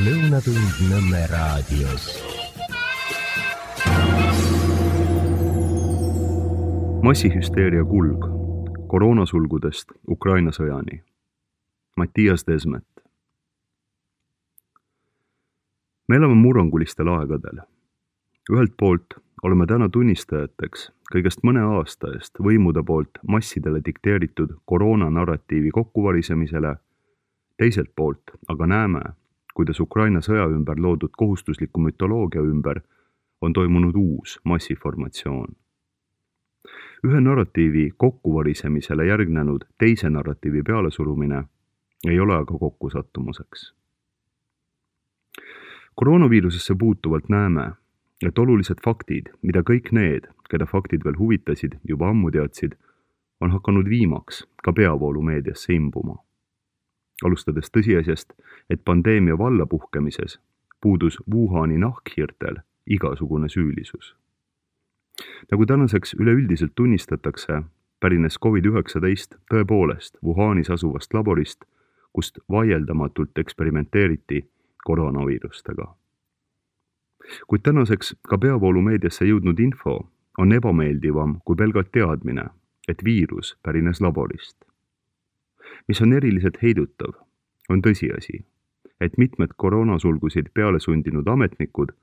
Lõunatund Nõmme raadios. Massihüsteeria kulg koroonasulgudest Ukraina sõjani. Mattias Desmet. Me elame murrangulistel aegadel. Ühelt poolt oleme täna tunnistajateks kõigest mõne aasta eest võimude poolt massidele dikteeritud koroonanarratiivi kokkuvarisemisele, teiselt poolt aga näeme, kuidas Ukraina sõja ümber loodud kohustusliku mütoloogia ümber on toimunud uus massiformatsioon. Ühe narratiivi kokkuvarisemisele järgnenud teise narratiivi pealesurumine ei ole aga kokkusattumuseks. Koroonaviirusesse puutuvalt näeme, et olulised faktid, mida kõik need, keda faktid veel huvitasid, juba ammu teadsid, on hakanud viimaks ka peavoolumeediasse imbuma. Alustades tõsiasjast, et pandeemia vallapuhkemises puudus Wuhani nahkhiirtel igasugune süülisus. Nagu tänaseks üleüldiselt tunnistatakse, pärines COVID-19 tõepoolest Wuhanis asuvast laborist, kust vaieldamatult eksperimenteeriti koroonaviirustega. Kuid tänaseks ka peavoolumeediasse jõudnud info on ebameeldivam kui pelgalt teadmine, et viirus pärines laborist. Mis on eriliselt heidutav, on tõsiasi, et mitmed koroonasulgusid peale sundinud ametnikud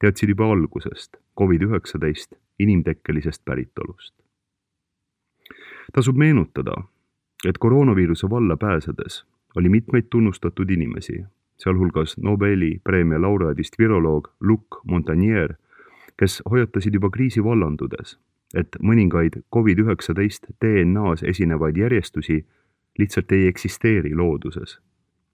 teadsid juba algusest COVID-19 inimtekkelisest päritolust. Tasub meenutada, et koroonaviiruse valla pääsedes oli mitmeid tunnustatud inimesi, sealhulgas Nobeli preemia laureaadist viroloog Luc Montagnier, kes hoiatasid juba kriisi vallandudes, et mõningaid COVID-19 DNAs esinevaid järjestusi lihtsalt ei eksisteeri looduses,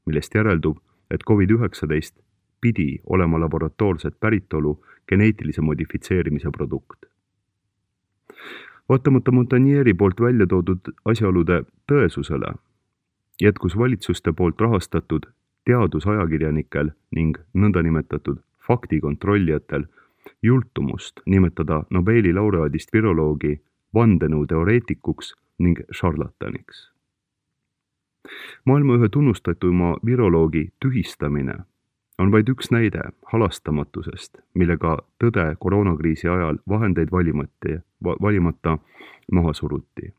millest järeldub, et COVID-19 pidi olema laboratoorset päritolu geneetilise modifitseerimise produkt. Vaatamata Montagnieri poolt välja toodud asjaolude tõesusele, jätkus valitsuste poolt rahastatud teadusajakirjanikel ning nõndanimetatud faktikontrollijatel jultumust nimetada Nobeli laureaadist viroloogi vandenõuteoreetikuks ning šarlataniks. Maailma ühe tunnustatuma viroloogi tühistamine on vaid üks näide halastamatusest, millega tõde koroonakriisi ajal vahendeid valimata maha suruti.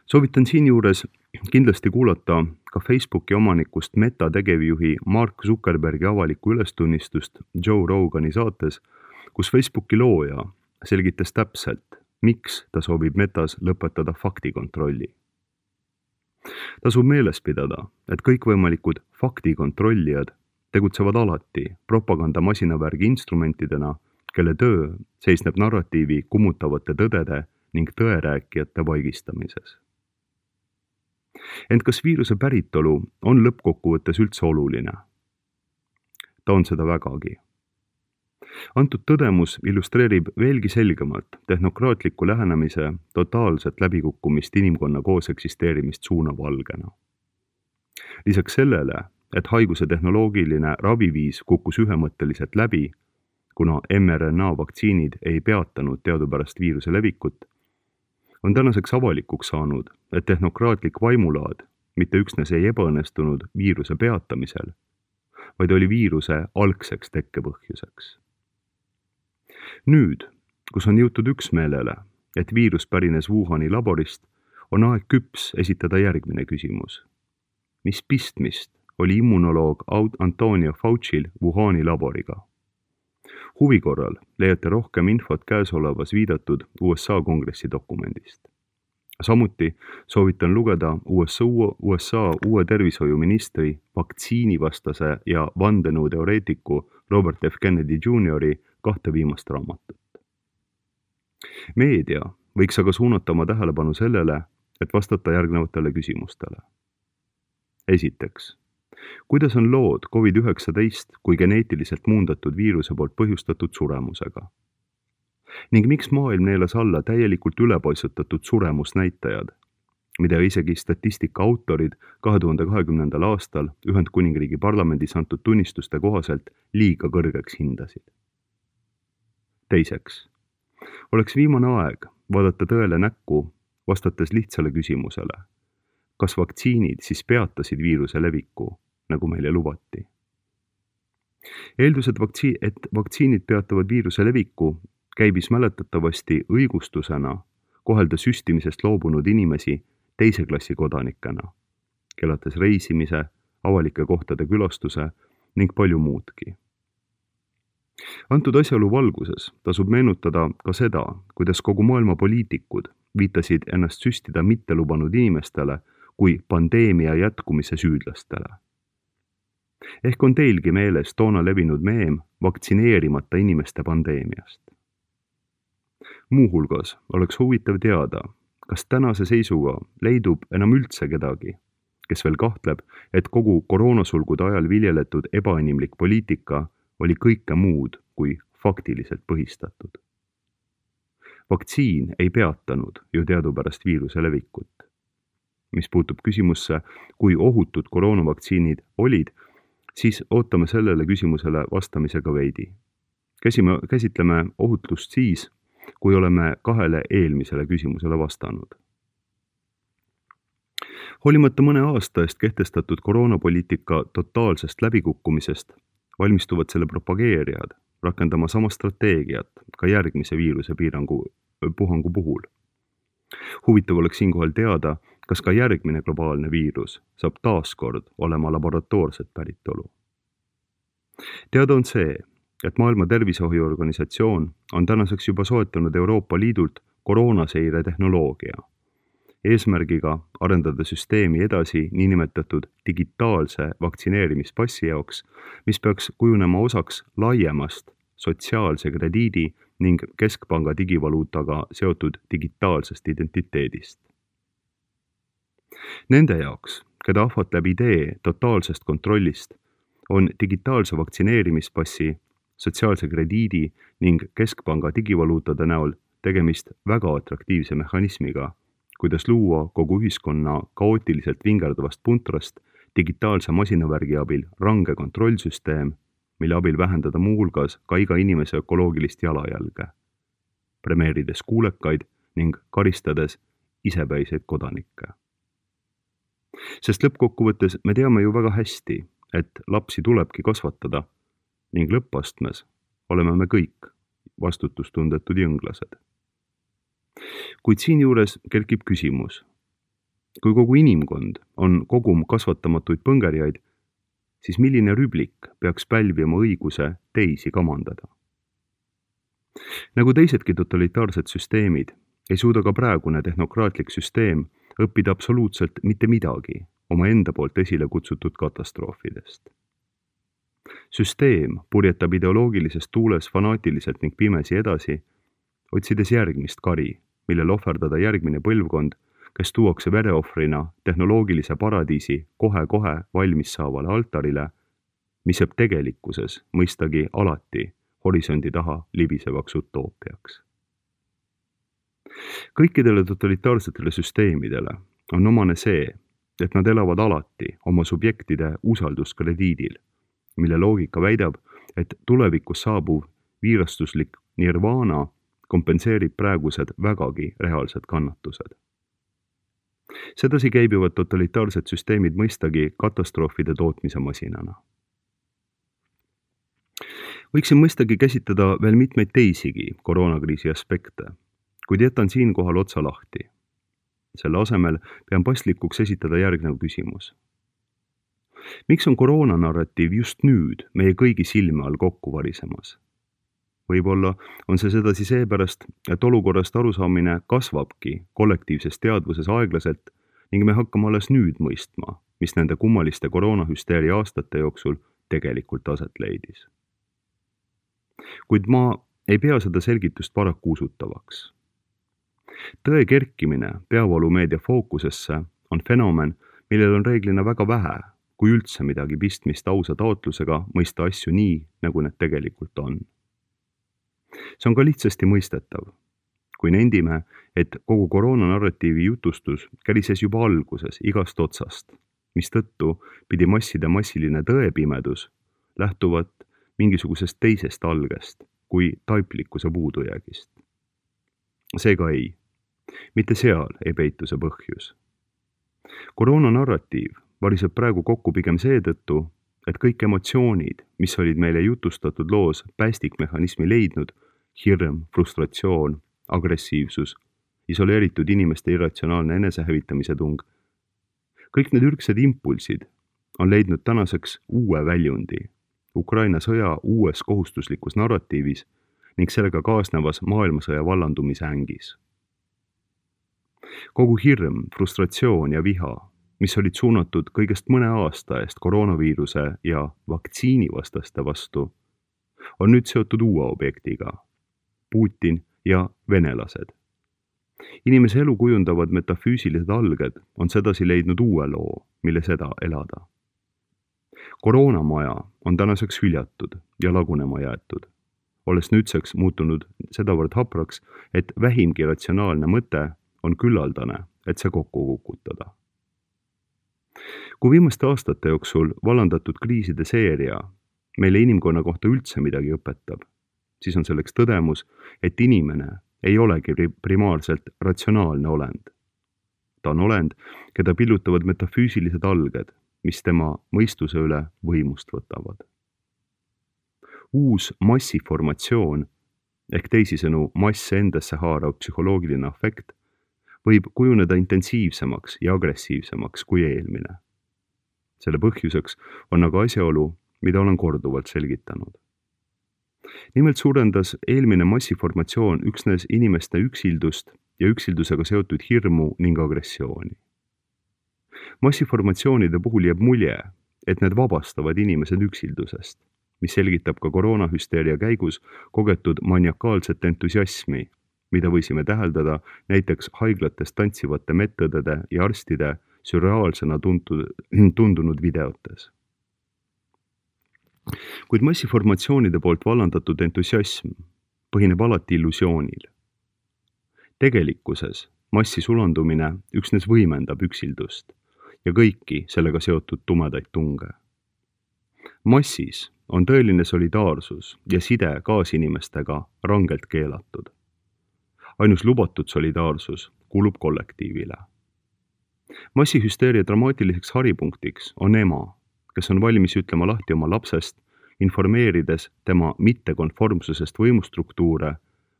Soovitan siinjuures kindlasti kuulata ka Facebooki omanikust Meta tegevjuhi Mark Zuckerbergi avalikku ülestunnistust Joe Rogani saates, kus Facebooki looja selgitas täpselt, miks ta soovib Metas lõpetada faktikontrolli. Tasub meeles pidada, et kõikvõimalikud faktikontrollijad tegutsevad alati propagandamasinaväärgi instrumentidena, kelle töö seisneb narratiivi kummutavate tõdede ning tõerääkijate vaigistamises. Ent kas viiruse päritolu on lõppkokkuvõttes üldse oluline? Ta on seda vägagi. Antud tõdemus illustreerib veelgi selgemalt tehnokraatliku lähenemise totaalset läbikukkumist inimkonna koos eksisteerimist suunavalgena. Lisaks sellele, et haiguse tehnoloogiline raviviis kukkus ühemõtteliselt läbi, kuna mRNA vaktsiinid ei peatanud teadupärast viiruse levikut, on tänaseks avalikuks saanud, et tehnokraatlik vaimulaad mitte üksnes ei ebaõnnestunud viiruse peatamisel, vaid oli viiruse algseks tekkepõhjuseks. Nüüd, kus on jõutud üksmeelele, et viirus pärines Wuhani laborist, on aeg küps esitada järgmine küsimus. Mis pistmist oli immunoloog Antonio Fauci'l Wuhani laboriga? Huvi korral leiate rohkem infot käesolevas viidatud USA kongressi dokumendist. Samuti soovitan lugeda USA uue tervishoiuministri, vaktsiinivastase ja vandenõuteoreetiku Robert F. Kennedy Jr. 2 viimast raamatut. Meedia võiks aga suunata oma tähelepanu sellele, et vastata järgnevatele küsimustele. Esiteks, kuidas on lood COVID-19 kui geneetiliselt muundatud viiruse poolt põhjustatud suremusega? Ning miks maailm neelas alla täielikult ülepaisutatud suremusnäitajad, mida isegi statistika autorid 2020. aastal Ühendkuningriigi parlamendis antud tunnistuste kohaselt liiga kõrgeks hindasid? Teiseks, oleks viimane aeg vaadata tõele näkku, vastates lihtsale küsimusele, kas vaktsiinid siis peatasid viiruse leviku nagu meile lubati. Eeldused, et vaktsiinid peatavad viiruse leviku, käibis mäletatavasti õigustusena kohelda süstimisest loobunud inimesi teise klassi kodanikena, keelates reisimise, avalike kohtade külastuse ning palju muudki. Antud asjaolu valguses tasub meenutada ka seda, kuidas kogu maailma poliitikud viitasid ennast süstida mitte lubanud inimestele kui pandeemia jätkumise süüdlastele. Ehk on teilgi meeles toona levinud meem vaktsineerimata inimeste pandeemiast. Muuhulgas oleks huvitav teada, kas tänase seisuga leidub enam üldse kedagi, kes veel kahtleb, et kogu koroonasulgude ajal viljeletud ebainimlik poliitika oli kõike muud kui faktiliselt põhistatud. Vaktsiin ei peatanud ju teadupärast viiruse levikut. Mis puutub küsimusse, kui ohutud koroonavaktsiinid olid, siis ootame sellele küsimusele vastamisega veidi. Käsitleme ohutust siis, kui oleme 2 eelmisele küsimusele vastanud. Hoolimata mõne aasta eest kehtestatud koroonapoliitika totaalsest läbikukkumisest valmistuvad selle propageerijad rakendama sama strateegiat ka järgmise viiruse puhangu puhul. Huvitav oleks siinkohal teada, kas ka järgmine globaalne viirus saab taaskord olema laboratoorset päritolu. Teada on see, et Maailma Terviseorganisatsioon on tänaseks juba soetanud Euroopa Liidult koroonaseire tehnoloogia, eesmärgiga arendada süsteemi edasi niinimetatud digitaalse vaktsineerimispassi jaoks, mis peaks kujunema osaks laiemast sotsiaalse krediidi ning keskpanga digivaluutaga seotud digitaalsest identiteedist. Nende jaoks, keda ahvatleb idee totaalsest kontrollist, on digitaalse vaktsineerimispassi, sotsiaalse krediidi ning keskpanga digivaluutade näol tegemist väga atraktiivse mehhanismiga, kuidas luua kogu ühiskonna kaootiliselt vingerdavast puntrast digitaalse masinavärgi abil range kontrollsüsteem, mille abil vähendada muuhulgas ka iga inimese ökoloogilist jalajälge, premeerides kuulekaid ning karistades isepäiseid kodanikke. Sest lõppkokkuvõttes me teame ju väga hästi, et lapsi tulebki kasvatada ning lõppastmes oleme me kõik vastutustundetud jõnglased. Kuid siinjuures kerkib küsimus, kui kogu inimkond on kogum kasvatamatuid põngerjaid, siis milline rüblik peaks pälvima õiguse teisi kamandada? Nagu teisedki totalitaarsed süsteemid, ei suuda ka praegune tehnokraatlik süsteem õppida absoluutselt mitte midagi oma enda poolt esile kutsutud katastroofidest. Süsteem purjetab ideoloogilises tuules fanaatiliselt ning pimesi edasi, otsides järgmist kari, millel ohverdada järgmine põlvkond, kes tuuakse vereohvrina tehnoloogilise paradiisi kohe-kohe valmis saavale altarile, mis jääb tegelikkuses mõistagi alati horisondi taha libisevaks utoopiaks. Kõikidele totalitaarsetele süsteemidele on omane see, et nad elavad alati oma subjektide usalduskrediidil, mille loogika väidab, et tulevikus saabuv viirastuslik nirvana kompenseerib praegused vägagi reaalsed kannatused. Sedasi käibivad totalitaarsed süsteemid mõistagi katastroofide tootmise masinana. Võiksin mõistagi käsitleda veel mitmeid teisigi koroonakriisi aspekte, kuid jätan siinkohal otsa lahti. Selle asemel pean paslikuks esitada järgnev küsimus. Miks on koroonanarratiiv just nüüd meie kõigi silme all kokku varisemas? Võib-olla on see sedasi seepärast, et olukorrast arusaamine kasvabki kollektiivses teadvuses aeglaselt ning me hakkame alles nüüd mõistma, mis nende kummaliste koroonahüsteeria aastate jooksul tegelikult aset leidis. Kuid ma ei pea seda selgitust paraku usutavaks. Tõe kerkimine peavoolumeedia fookusesse on fenomen, millel on reeglina väga vähe, kui üldse midagi pistmist ausa taotlusega mõista asju nii, nagu need tegelikult on. See on ka lihtsasti mõistetav, kui nendime, et kogu koroonanarratiivi jutustus kärises juba alguses igast otsast, mistõttu pidi masside massiline tõepimedus lähtuvat mingisugusest teisest algest kui taiplikkuse puudujäägist. Seega ei, mitte seal ei peitu see põhjus. Koroonanarratiiv variseb praegu kokku pigem seetõttu, et kõik emotsioonid, mis olid meile jutustatud loos päästikmehhanismi leidnud, hirm, frustratsioon, agressiivsus, isoleeritud inimeste irratsionaalne enesehävitamise tung, kõik need ürgsed impulsid on leidnud tänaseks uue väljundi Ukraina sõja uues kohustuslikus narratiivis ning sellega kaasnevas maailmasõja vallandumise ängis. Kogu hirm, frustratsioon ja viha, mis olid suunatud kõigest mõne aasta eest koroonaviiruse ja vaktsiinivastaste vastu, on nüüd seotud uue objektiga, Putin ja venelased. Inimese elu kujundavad metafüüsilised alged on sedasi leidnud uue loo, mille seda elada. Koroonamaja on tänaseks hüljatud ja lagunema jäetud, olles nüüdseks muutunud sedavõrd hapraks, et vähimgi ratsionaalne mõte on küllaldane, et see kokku kukutada. Kui viimaste aastate jooksul vallandatud kriiside seeria meile inimkonna kohta üldse midagi õpetab, siis on selleks tõdemus, et inimene ei olegi primaarselt ratsionaalne olend. Ta on olend, keda pillutavad metafüüsilised alged, mis tema mõistuse üle võimust võtavad. Uus massiformatsioon ehk teisisõnu masse endasse haarav psühholoogiline afekt võib kujuneda intensiivsemaks ja agressiivsemaks kui eelmine. Selle põhjuseks on aga asjaolu, mida olen korduvalt selgitanud. Nimelt suurendas eelmine massiformatsioon üksnes inimeste üksildust ja üksildusega seotud hirmu ning agressiooni. Massiformatsioonide puhul jääb mulje, et need vabastavad inimesed üksildusest, mis selgitab ka koroonahüsteeria käigus kogetud maniakaalset entusiasmi, mida võisime täheldada näiteks haiglates tantsivate medõdede ja arstide sürreaalsena tundunud videotes. Kuid massiformatsioonide poolt vallandatud entusiasm põhineb alati illusioonil. Tegelikkuses massi sulandumine üksnes võimendab üksildust ja kõiki sellega seotud tumedaid tunge. Massis on tõeline solidaarsus ja side kaasinimestega rangelt keelatud. Ainus lubatud solidaarsus kuulub kollektiivile. Massihüsteeria dramaatiliseks haripunktiks on ema, kes on valmis ütlema lahti oma lapsest, informeerides tema mittekonformsusest võimustruktuure,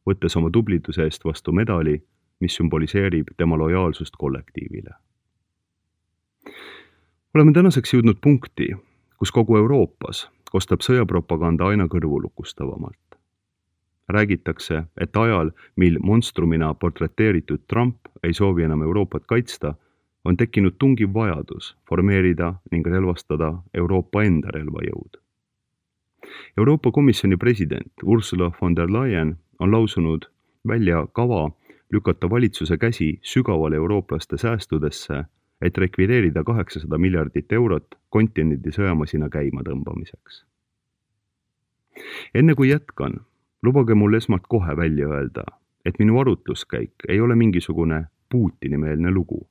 võttes oma tubliduse eest vastu medali, mis sümboliseerib tema lojaalsust kollektiivile. Oleme tänaseks jõudnud punkti, kus kogu Euroopas kostab sõjapropaganda aina kõrvulukustavamalt. Räägitakse, et ajal, mil monstrumina portreteeritud Trump ei soovi enam Euroopat kaitsta, on tekkinud tungiv vajadus formeerida ning relvastada Euroopa enda relvajõud. Euroopa Komisjoni president Ursula von der Leyen on lausunud välja kava lükata valitsuse käsi sügavale eurooplaste säästudesse, et rekvireerida 800 miljardit eurot kontinendi sõjamasina käima tõmbamiseks. Enne kui jätkan, lubage mul esmalt kohe välja öelda, et minu arutluskäik ei ole mingisugune Putini-meelne lugu,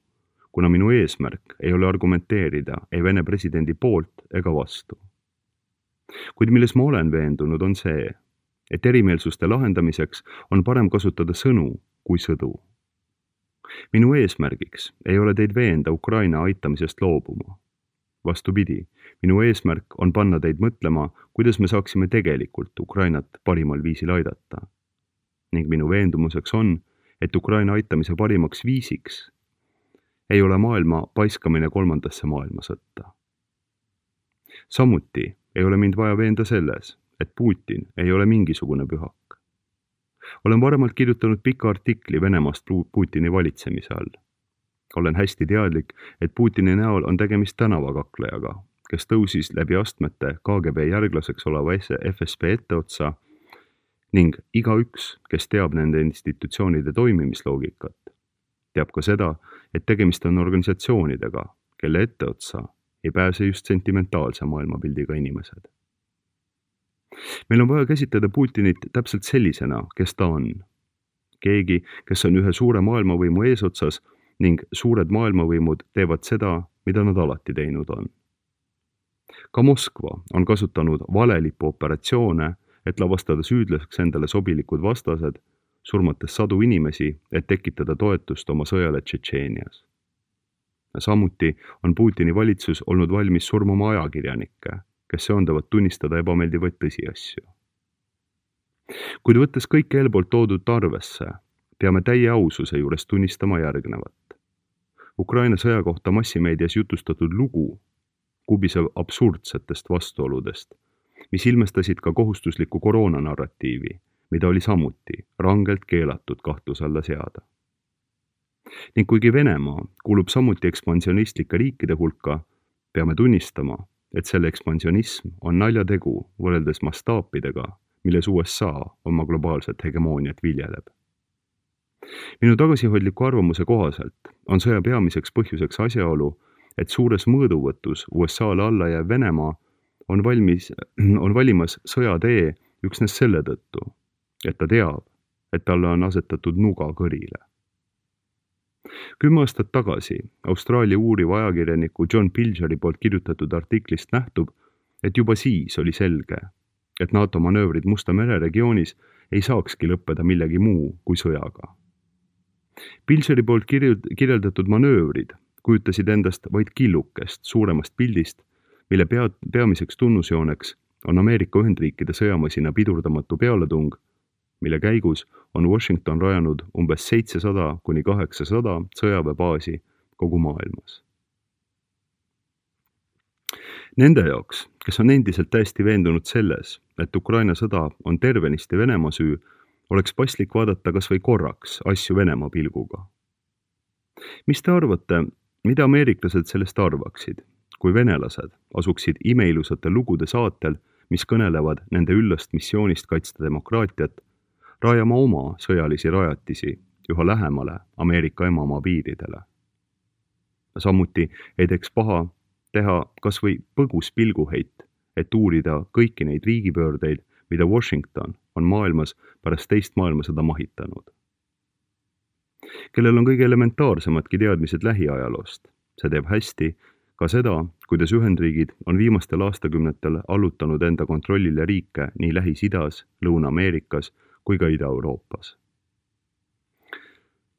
kuna minu eesmärk ei ole argumenteerida ei Vene presidendi poolt ega vastu. Kuid milles ma olen veendunud on see, et erimeelsuste lahendamiseks on parem kasutada sõnu kui sõdu. Minu eesmärgiks ei ole teid veenda Ukraina aitamisest loobuma. Vastupidi, minu eesmärk on panna teid mõtlema, kuidas me saaksime tegelikult Ukrainat parimal viisil aidata. Ning minu veendumuseks on, et Ukraina aitamise parimaks viisiks ei ole maailma paiskamine kolmandasse maailmasõtta. Samuti ei ole mind vaja veenda selles, et Putin ei ole mingisugune pühak. Olen varemalt kirjutanud pika artikli Venemaast Putini valitsemise all. Olen hästi teadlik, et Putini näol on tegemist tänavakaklejaga, kes tõusis läbi astmete KGB järglaseks oleva FSB etteotsa ning igaüks, kes teab nende institutsioonide toimimisloogikat, teab ka seda, et tegemist on organisatsioonidega, kelle etteotsa ei pääse just sentimentaalse maailmapildiga inimesed. Meil on vaja käsitleda Putinit täpselt sellisena, kes ta on. Keegi, kes on ühe suure maailmavõimu eesotsas ning suured maailmavõimud teevad seda, mida nad alati teinud on. Ka Moskva on kasutanud valelipuoperatsioone, et lavastada süüdlaseks endale sobilikud vastased, surmates sadu inimesi, et tekitada toetust oma sõjale Tšetšeenias. Samuti on Putini valitsus olnud valmis surmama ajakirjanikke, kes söandavad tunnistada ebameeldivaid tõsiasju. Kuid võttes kõik eelpoolt toodud arvesse, peame täie aususe juures tunnistama järgnevat. Ukraina sõja kohta massimeedias jutustatud lugu kubiseb absurdsetest vastuoludest, mis ilmestasid ka kohustuslikku koroonanarratiivi, mida oli samuti rangelt keelatud kahtluse alla seada. Ning kuigi Venemaa kuulub samuti ekspansionistlike riikide hulka, peame tunnistama, et selle ekspansionism on naljategu võrreldes mastaapidega, milles USA oma globaalset hegemooniat viljeleb. Minu tagasihoidliku arvamuse kohaselt on sõja peamiseks põhjuseks asjaolu, et suures mõõduvõtus USA-le alla jääv Venemaa on valimas sõjatee üksnes selle tõttu, et ta teab, et talle on asetatud nuga kõrile. 10 aastat tagasi Austraalia uuriva ajakirjaniku John Pilgeri poolt kirjutatud artiklist nähtub, et juba siis oli selge, et NATO manöövrid Musta mere regioonis ei saakski lõppeda millegi muu kui sõjaga. Pilgeri poolt kirjeldatud manöövrid kujutasid endast vaid killukest suuremast pildist, mille peamiseks tunnusjooneks on Ameerika Ühendriikide sõjamasina pidurdamatu pealetung, mille käigus on Washington rajanud umbes 700–800 sõjaväebaasi kogu maailmas. Nende jaoks, kes on endiselt täiesti veendunud selles, et Ukraina sõda on tervenisti Venemaa süü, oleks paslik vaadata kas või korraks asju Venemaa pilguga. Mis te arvate, mida ameeriklased sellest arvaksid, kui venelased asuksid imeilusate lugude saatel, mis kõnelevad nende üllast missioonist kaitsta demokraatiat, rajama oma sõjalisi rajatisi üha lähemale Ameerika emamaa piiridele? Samuti ei teeks paha teha kas või põgus pilguheit, et uurida kõiki neid riigipöördeid, mida Washington on maailmas pärast teist maailmasõda mahitanud. Kellel on kõige elementaarsemadki teadmised lähiajaloost, see teeb hästi ka seda, kuidas Ühendriigid on viimastel aastakümnetel allutanud enda kontrollile riike nii Lähis-Idas, Lõuna-Ameerikas kui ka Ida-Euroopas.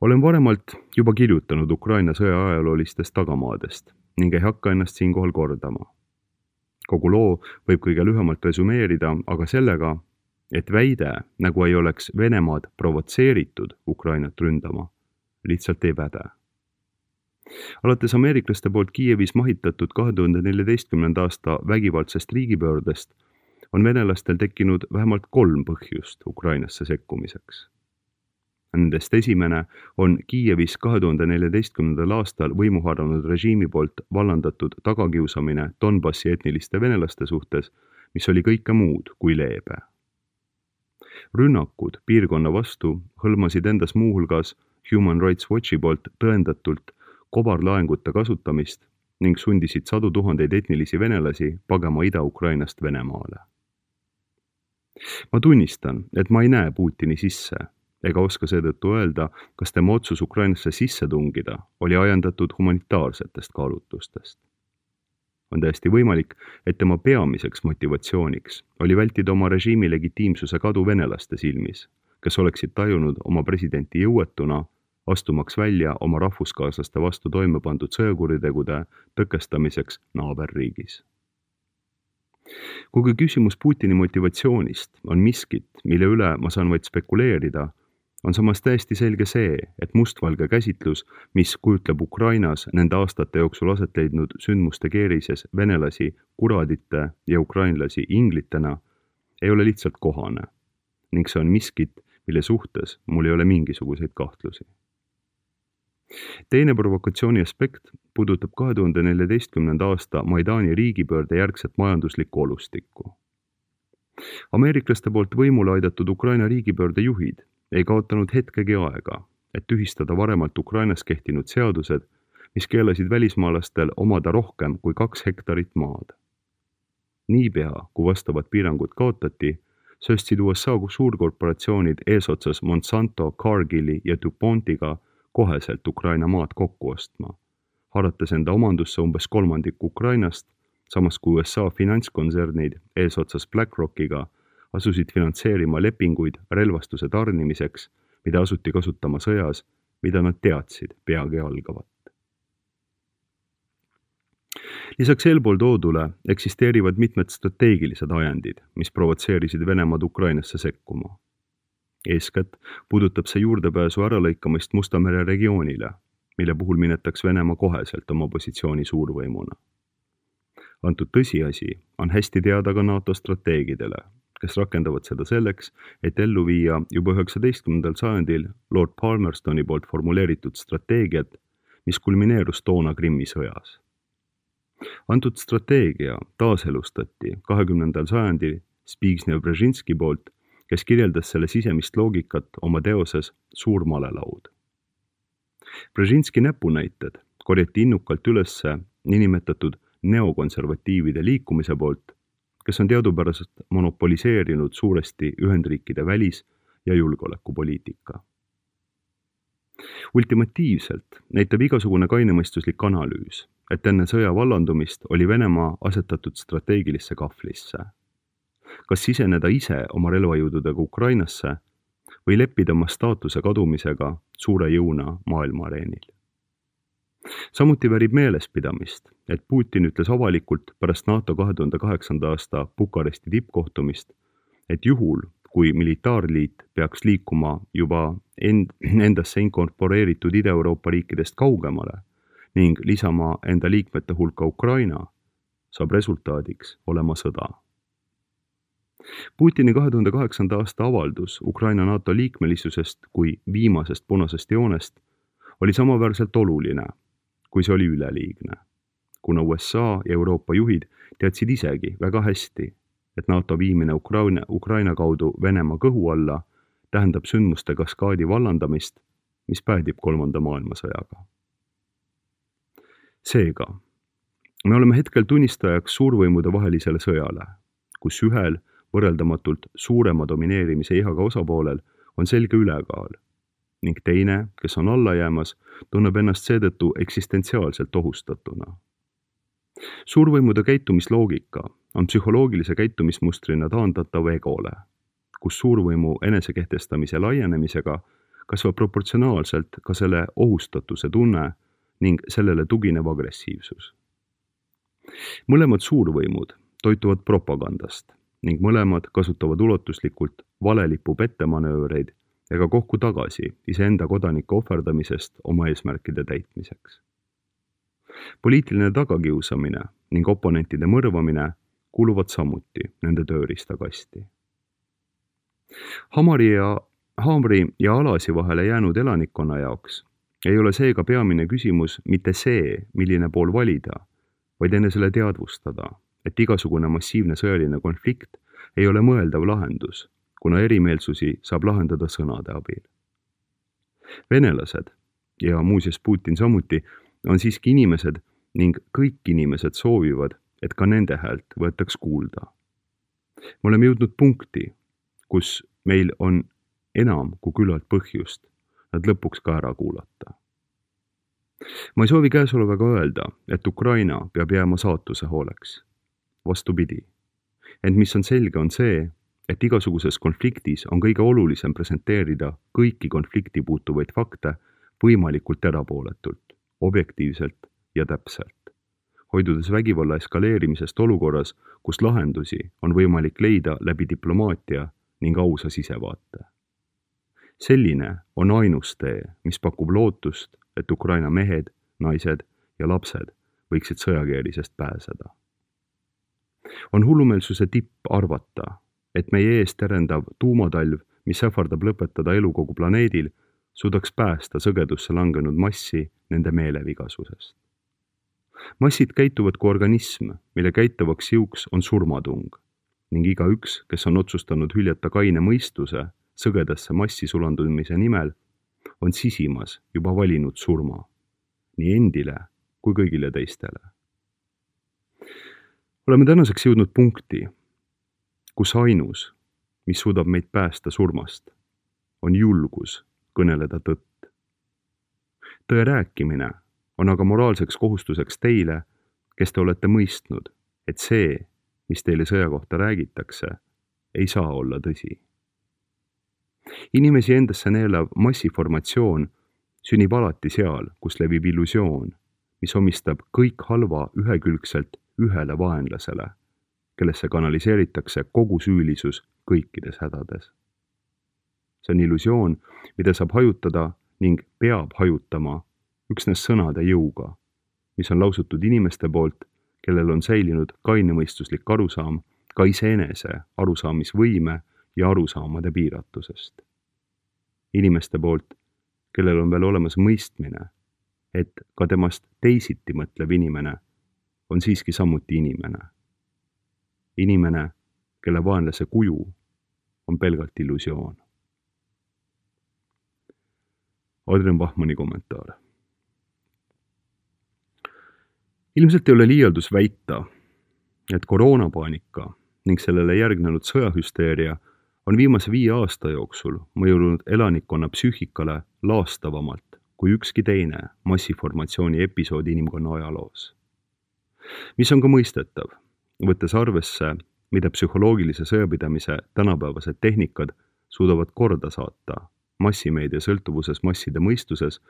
Olen varemalt juba kirjutanud Ukraina sõja ajaloolistest tagamaadest ning ei hakka ennast siinkohal kordama. Kogu loo võib kõige lühemalt resümeerida aga sellega, et väide, nagu ei oleks Venemaad provotseeritud Ukrainat ründama, lihtsalt ei päde. Alates ameeriklaste poolt Kiievis mahitatud 2014. aasta vägivaldsest riigipöördest on venelastel tekkinud vähemalt 3 põhjust Ukrainasse sekkumiseks. Nendest esimene on Kiievis 2014. aastal võimuharanud režiimi poolt vallandatud tagakiusamine Donbassi etniliste venelaste suhtes, mis oli kõike muud kui leebe. Rünnakud piirkonna vastu hõlmasid endas muuhulgas Human Rights Watchi poolt tõendatult kobarlaengute kasutamist ning sundisid 100 000 etnilisi venelasi pagema Ida-Ukrainast Venemaale. Ma tunnistan, et ma ei näe Putini sisse ega oska seetõttu öelda, kas tema otsus Ukrainasse sisse tungida oli ajendatud humanitaarsetest kaalutlustest. On täiesti võimalik, et tema peamiseks motivatsiooniks oli vältida oma režiimi legitiimsuse kadu venelaste silmis, kes oleksid tajunud oma presidenti jõuetuna, astumaks välja oma rahvuskaaslaste vastu toime pandud sõjakuritegude tõkestamiseks naaberriigis. Kuigi küsimus Putini motivatsioonist on miskit, mille üle ma saan vaid spekuleerida, on samas täiesti selge see, et mustvalge käsitlus, mis kujutleb Ukrainas nende aastate jooksul aset leidnud sündmuste keerises venelasi kuradite ja ukrainlasi inglitena, ei ole lihtsalt kohane ning see on miskit, mille suhtes mul ei ole mingisuguseid kahtlusi. Teine provokatsiooni aspekt puudutab 2014. aasta Maidani riigipöörde järgset majanduslikku olustikku. Ameeriklaste poolt võimule aidatud Ukraina riigipöörde juhid ei kaotanud hetkegi aega, et tühistada varemalt Ukrainas kehtinud seadused, mis keelasid välismaalastel omada rohkem kui 2 hektarit maad. Niipea, kui vastavad piirangud kaotati, sööstsid USA suurkorporatsioonid eesotsas Monsanto, Cargilli ja DuPontiga koheselt Ukraina maad kokku ostma, harates enda omandusse umbes 1/3 Ukrainast, samas kui USA finantskontsernid eesotsas BlackRockiga asusid finantseerima lepinguid relvastuse tarnimiseks, mida asuti kasutama sõjas, mida nad teadsid peagi algavat. Lisaks eelpool toodule eksisteerivad mitmed strateegilised ajendid, mis provotseerisid Venemaad Ukrainasse sekkuma. Eeskätt puudutab see juurdepääsu äralõikamist Musta mere regioonile, mille puhul minetaks Venemaa koheselt oma positsiooni suurvõimuna. Antud tõsiasi on hästi teada ka NATO strateegidele, kes rakendavad seda selleks, et ellu viia juba 19. sajandil Lord Palmerstoni poolt formuleeritud strateegiat, mis kulmineerus toona Krimmi sõjas. Antud strateegia taaselustati 20. sajandil Zbigniew-Brzezinski poolt, kes kirjeldas selle sisemist loogikat oma teoses Suur malelaud. Brzezinski näpunäited korjati innukalt ülesse niinimetatud neokonservatiivide liikumise poolt, kes on teadupäraselt monopoliseerinud suuresti Ühendriikide välis- ja julgeolekupoliitika. Ultimatiivselt näitab igasugune kainemõistuslik analüüs, et enne sõja vallandumist oli Venemaa asetatud strateegilisse kahvlisse. Kas siseneda ise oma relvajõududega Ukrainasse või leppida oma staatuse kadumisega suure jõuna maailmaareenil. Samuti väärib meelespidamist, et Putin ütles avalikult pärast NATO 2008. aasta Bukaresti tippkohtumist, et juhul, kui militaarliit peaks liikuma juba endasse inkorporeeritud Ida-Euroopa riikidest kaugemale ning lisama enda liikmete hulka Ukraina, saab resultaadiks olema sõda. Putini 2008. aasta avaldus Ukraina NATO liikmelisusest kui viimasest punasest joonest oli samaväärselt oluline, kui see oli üleliigne, kuna USA ja Euroopa juhid teadsid isegi väga hästi, et NATO viimine Ukraina kaudu Venemaa kõhu alla tähendab sündmuste kaskaadi vallandamist, mis päädib 3. maailmasõjaga. Seega, me oleme hetkel tunnistajaks suurvõimude vahelisele sõjale, kus ühel võrreldamatult suurema domineerimise ihaga osapoolel on selge ülekaal ning teine, kes on alla jäämas, tunneb ennast seetõttu eksistentsiaalselt ohustatuna. Suurvõimude käitumisloogika on psühholoogilise käitumismustrina taandatav egole, kus suurvõimu enesekehtestamise laienemisega kasvab proportsionaalselt ka selle ohustatuse tunne ning sellele tuginev agressiivsus. Mõlemad suurvõimud toituvad propagandast ning mõlemad kasutavad ulatuslikult valelipu pettemanööreid ega kohku tagasi iseenda kodanike ohverdamisest oma eesmärkide täitmiseks. Poliitiline tagakiusamine ning oponentide mõrvamine kuuluvad samuti nende tööriistakasti. Haamri ja Alasi vahele jäänud elanikkonna jaoks ei ole seega peamine küsimus mitte see, milline pool valida, vaid enesele teadvustada, et igasugune massiivne sõjaline konflikt ei ole mõeldav lahendus, kuna erimeelsusi saab lahendada sõnade abil. Venelased, ja muuseas Putin samuti, on siiski inimesed ning kõik inimesed soovivad, et ka nende häält võetaks kuulda. Me oleme jõudnud punkti, kus meil on enam kui küllalt põhjust nad lõpuks ka ära kuulata. Ma ei soovi käesolevaga öelda, et Ukraina peab jääma saatuse hooleks. Vastupidi. Ent mis on selge, on see, et igasuguses konfliktis on kõige olulisem presenteerida kõiki konflikti puutuvaid fakte võimalikult erapooletult, objektiivselt ja täpselt, hoidudes vägivalla eskaleerimisest olukorras, kus lahendusi on võimalik leida läbi diplomaatia ning ausa sisevaate. Selline on ainus tee, mis pakub lootust, et Ukraina mehed, naised ja lapsed võiksid sõjakeerisest pääseda. On hullumeelsuse tipp arvata, et meie ees terendav tuumatalv, mis ähvardab lõpetada elu kogu planeedil, suudaks päästa sõgedusse langenud massi nende meelevigasusest. Massid käituvad kui organism, mille käitavaks jõuks on surmatung ning igaüks, kes on otsustanud hüljata kaine mõistuse sõgedasse massi sulandumise nimel, on sisimas juba valinud surma, nii endile kui kõigile teistele. Oleme tänaseks jõudnud punkti, kus ainus, mis suudab meid päästa surmast, on julgus kõneleda tõtt. Tõe rääkimine on aga moraalseks kohustuseks teile, kes te olete mõistnud, et see, mis teile sõja kohta räägitakse, ei saa olla tõsi. Inimesi endasse neelav massiformatsioon sünnib alati seal, kus levib illusioon, mis omistab kõik halva ühekülgselt ühele vaenlasele, kellesse kanaliseeritakse kogu süülisus kõikides hädades. See on illusioon, mida saab hajutada ning peab hajutama üksnes sõnade jõuga, mis on lausutud inimeste poolt, kellel on säilinud kainemõistuslik arusaam ka iseenese arusaamisvõime ja arusaamade piiratusest. Inimeste poolt, kellel on veel olemas mõistmine, et ka temast teisiti mõtlev inimene on siiski samuti inimene. Inimene, kelle vaenlase kuju on pelgalt illusioon. Adrian Bachmanni kommentaar. Ilmselt ei ole liialdus väita, et koroonapaanika ning sellele järgnenud sõjahüsteeria on viimase 5 aasta jooksul mõjunud elanikkonna psüühikale laastavamalt kui ükski teine massiformatsiooni episood inimkonna ajaloos. Mis on ka mõistetav, võttes arvesse, mida psühholoogilise sõjapidamise tänapäevased tehnikad suudavad korda saata massimeedia sõltuvuses masside mõistuses,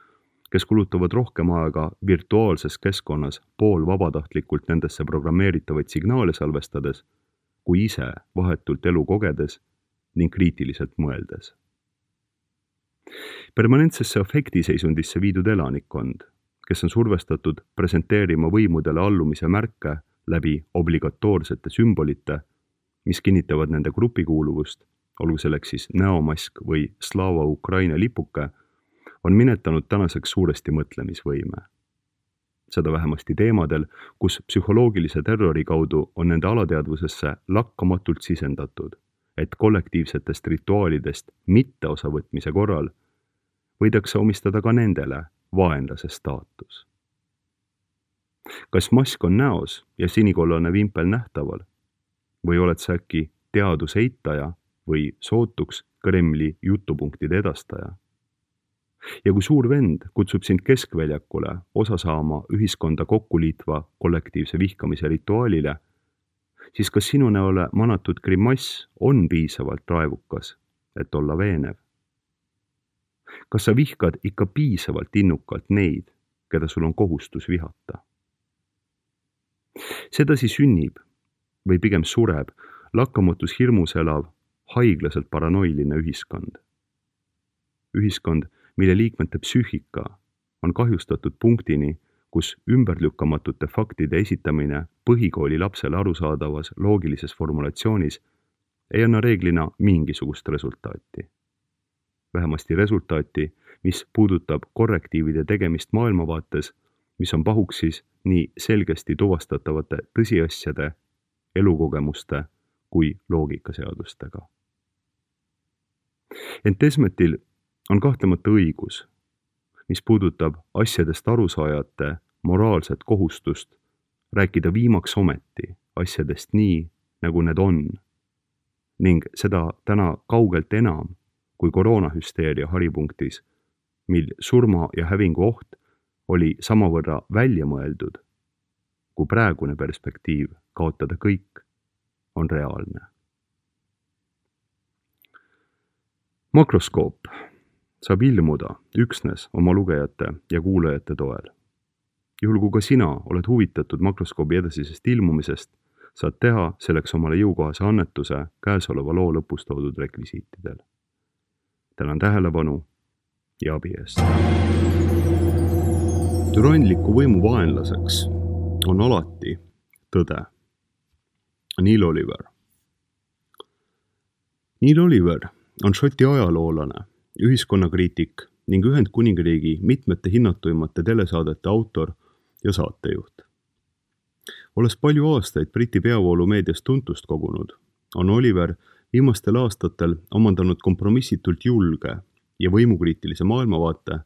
kes kulutavad rohkem aega virtuaalses keskkonnas poolvabatahtlikult nendesse programmeeritavaid signaale salvestades, kui ise vahetult elu kogedes ning kriitiliselt mõeldes. Permanentsesse afektiseisundisse viidud elanikkond, kes on survestatud presenteerima võimudele allumise märke läbi obligatoorsete sümbolite, mis kinnitavad nende grupikuuluvust, olgu selleks siis näomask või Slava Ukraina lipuke, on minetanud tänaseks suuresti mõtlemisvõime. Seda vähemasti teemadel, kus psühholoogilise terrori kaudu on nende alateadvusesse lakkamatult sisendatud, et kollektiivsetest rituaalidest mitteosavõtmise korral võidakse omistada ka nendele vaenlase staatus. Kas mask on näos ja sinikollane vimpel nähtaval? Või oled sa äkki teaduse eitaja või sootuks Kremli jutupunktide edastaja? Ja kui suur vend kutsub sind keskväljakule osa saama ühiskonda kokkuliitva kollektiivse vihkamise rituaalile, siis kas sinu näole manatud grimass on piisavalt raevukas, et olla veenev? Kas sa vihkad ikka piisavalt innukalt neid, keda sul on kohustus vihata? Sedasi sünnib või pigem sureb lakkamatus hirmus elav, haiglaselt paranoiline ühiskond. Ühiskond, mille liikmete psüühika on kahjustatud punktini, kus ümberlükkamatute faktide esitamine põhikooli lapsele arusaadavas loogilises formulatsioonis ei anna reeglina mingisugust resultaati. Vähemasti resultaati, mis puudutab korrektiivide tegemist maailmavaates, mis on pahuksis nii selgesti tuvastatavate tõsiasjade, elukogemuste kui loogikaseadustega. Ent Esmetil on kahtlemata õigus, mis puudutab asjadest arusaajate moraalset kohustust rääkida viimaks ometi asjadest nii, nagu need on, ning seda täna kaugelt enam kui koroonahüsteeria haripunktis, mil surma ja hävingu oht oli samavõrra välja mõeldud, kui praegune perspektiiv kaotada kõik on reaalne. Makroskoop saab ilmuda üksnes oma lugejate ja kuulajate toel. Juhul kui ka sina oled huvitatud makroskoobi edasisest ilmumisest, saad teha selleks omale jõukohase annetuse käesoleva loo lõpus toodud rekvisiitidel. Tänan tähelepanu ja abi eest. Türanliku võimu vaenlaseks on alati tõde. Neil Oliver. Neil Oliver on Šoti ajaloolane, ühiskonnakriitik ning Ühendkuningriigi mitmete hinnatuimate telesaadete autor ja saatejuht. Olles palju aastaid Briti peavoolumeedias tuntust kogunud, on Oliver viimastel aastatel omandanud kompromissitult julge ja võimukriitilise maailmavaate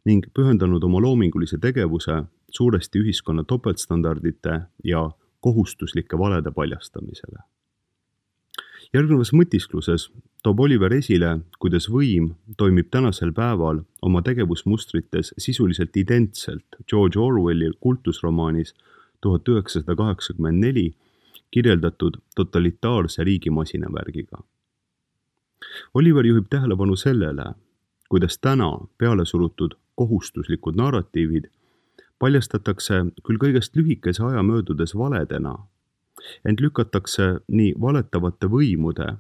ning pühendanud oma loomingulise tegevuse suuresti ühiskonna topeltstandardite ja kohustuslike valede paljastamisele. Järgnevas mõtiskluses toob Oliver esile, kuidas võim toimib tänasel päeval oma tegevusmustrites sisuliselt identselt George Orwelli kultusromaanis 1984 kirjeldatud totalitaarse riigimasinavärgiga. Oliver juhib tähelepanu sellele, kuidas täna peale surutud kohustuslikud narratiivid paljastatakse küll kõigest lühikese aja möödudes valedena, ent lükatakse nii valetavate võimude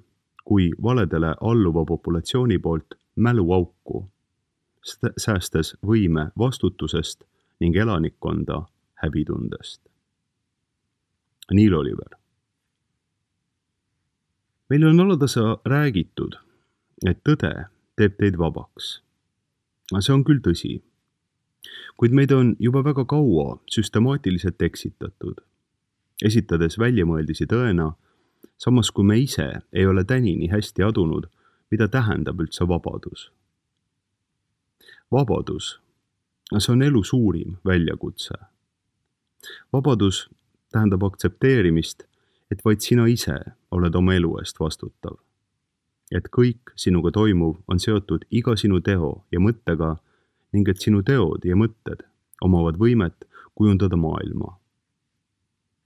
kui valedele alluva populatsiooni poolt mäluauku, säästes võime vastutusest ning elanikkonda häbitundest. Neil Oliver. Meil on alatasa räägitud, et tõde teeb teid vabaks. See on küll tõsi, kuid meid on juba väga kaua süstemaatiliselt eksitatud, esitades väljamõeldisi tõena, samas kui me ise ei ole tänini hästi adunud, mida tähendab üldse vabadus. Vabadus, see on elu suurim väljakutse. Vabadus tähendab aktsepteerimist, et vaid sina ise oled oma elu eest vastutav. Et kõik sinuga toimuv on seotud iga sinu teo ja mõttega ning et sinu teod ja mõtted omavad võimet kujundada maailma.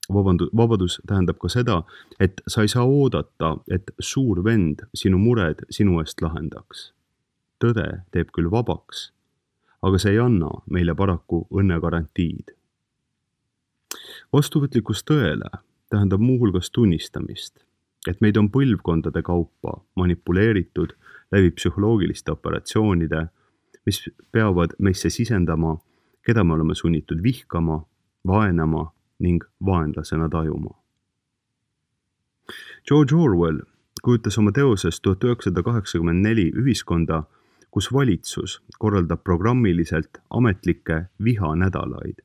Vabadus tähendab ka seda, et sa ei saa oodata, et suur vend sinu mured sinu eest lahendaks. Tõde teeb küll vabaks, aga see ei anna meile paraku õnnegarantiid. Vastuvõtlikkus tõele tähendab muuhulgas tunnistamist, et meid on põlvkondade kaupa manipuleeritud läbi psühholoogiliste operatsioonide, mis peavad meisse sisendama, keda me oleme sunnitud vihkama, vaenama ning vaenlasena tajuma. George Orwell kujutas oma teoses 1984 ühiskonda, kus valitsus korraldab programmiliselt ametlikke vihanädalaid,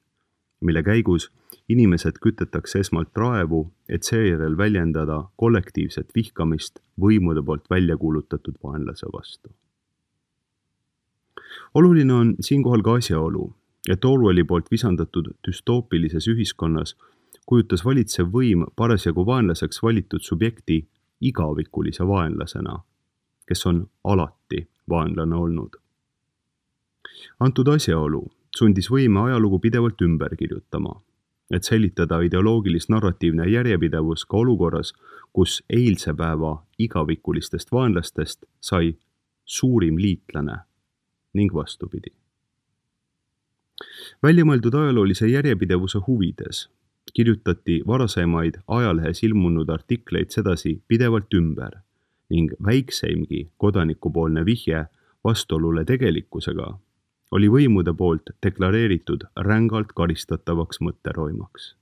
mille käigus inimesed kütetakse esmalt raevu, et seejärel väljendada kollektiivset vihkamist võimude poolt välja kuulutatud vaenlase vastu. Oluline on siinkohal ka asjaolu, et Orwelli poolt visandatud düstoopilises ühiskonnas kujutas valitsev võim parasjagu vaenlaseks valitud subjekti igavikulise vaenlasena, kes on alati vaenlane olnud. Antud asjaolu sundis võime ajalugu pidevalt ümber kirjutama, et säilitada ideoloogilis-narratiivne järjepidevus ka olukorras, kus eilse päeva igavikulistest vaenlastest sai suurim liitlane ning vastupidi. Väljamõeldud ajaloolise järjepidevuse huvides kirjutati varasemaid ajalehes ilmunud artikleid sedasi pidevalt ümber ning väikseimgi kodanikupoolne vihje vastuolule tegelikkusega oli võimude poolt deklareeritud rängalt karistatavaks mõtteroimaks.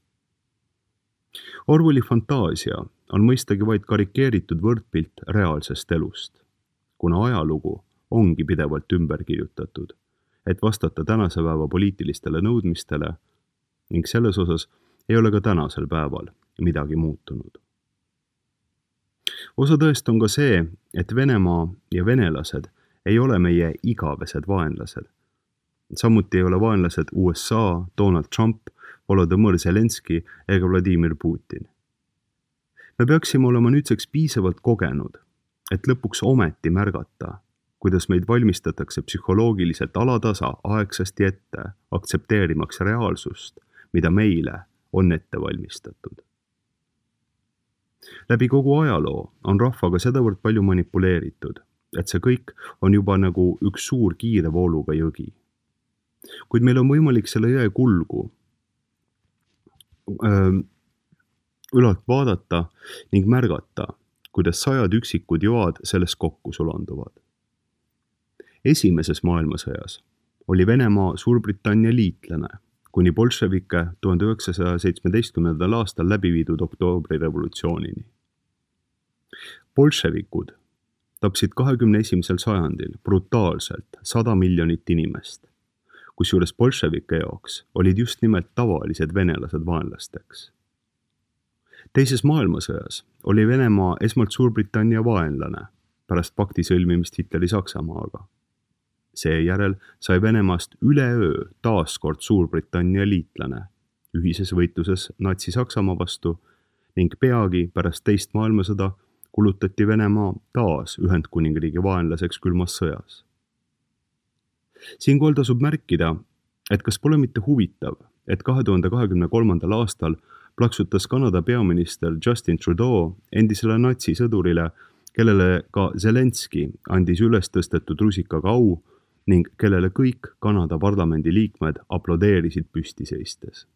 Orwelli fantaasia on mõistagi vaid karikeeritud võrdpilt reaalsest elust, kuna ajalugu ongi pidevalt ümber kirjutatud, et vastata tänase päeva poliitilistele nõudmistele ning selles osas ei ole ka tänasel päeval midagi muutunud. Osa tõest on ka see, et Venemaa ja venelased ei ole meie igavesed vaenlased. Samuti ei ole vaenlased USA, Donald Trump, Volodõmõr Zelenski ega Vladimir Putin. Me peaksime olema nüüdseks piisavalt kogenud, et lõpuks ometi märgata, kuidas meid valmistatakse psühholoogiliselt alatasa aegsasti ette, aktsepteerimaks reaalsust, mida meile on ette valmistatud. Läbi kogu ajaloo on rahvaga sedavõrd palju manipuleeritud, et see kõik on juba nagu üks suur kiire vooluga jõgi. Kuid meil on võimalik selle jõe kulgu ülalt vaadata ning märgata, kuidas sajad üksikud joad selles kokku sulanduvad. Esimeses maailmasõjas oli Venemaa Suurbritannia liitlane, kuni bolševike 1917. aastal läbi viidud oktoobrirevolutsioonini. Bolševikud tapsid 21. sajandil brutaalselt 100 miljonit inimest, kusjuures bolševike jaoks olid just nimelt tavalised venelased vaenlasteks. Teises maailmasõjas oli Venemaa esmalt Suurbritannia vaenlane pärast pakti sõlmimist Hitleri Saksamaaga. Seejärel sai Venemaast üleöö taaskord Suurbritannia liitlane ühises võitluses Natsi-Saksamaa vastu ning peagi pärast teist maailmasõda kulutati Venemaa taas Ühendkuningriigi vaenlaseks külmas sõjas. Siinkohal tasub märkida, et kas pole mitte huvitav, et 2023. aastal plaksutas Kanada peaminister Justin Trudeau endisele natsisõdurile, kellele ka Zelenski andis üles tõstetud rusikaga au, ning kellele kõik Kanada parlamendi liikmed aplodeerisid püsti seistes.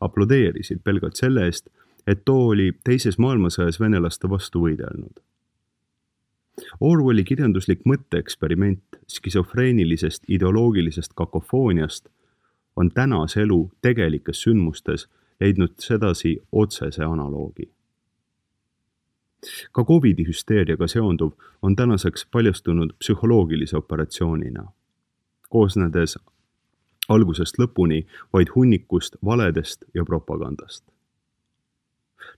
Aplodeerisid pelgalt selle eest, et too oli teises maailmasõjas venelaste vastu võidelnud. Orwelli kirjanduslik mõtteeksperiment skisofreenilisest ideoloogilisest kakofooniast on tänase elu tegelikes sündmustes leidnud sedasi otsese analoogi. Ka COVID-i hüsteeriaga seonduv on tänaseks paljastunud psühholoogilise operatsioonina, koosnedes algusest lõpuni vaid hunnikust valedest ja propagandast.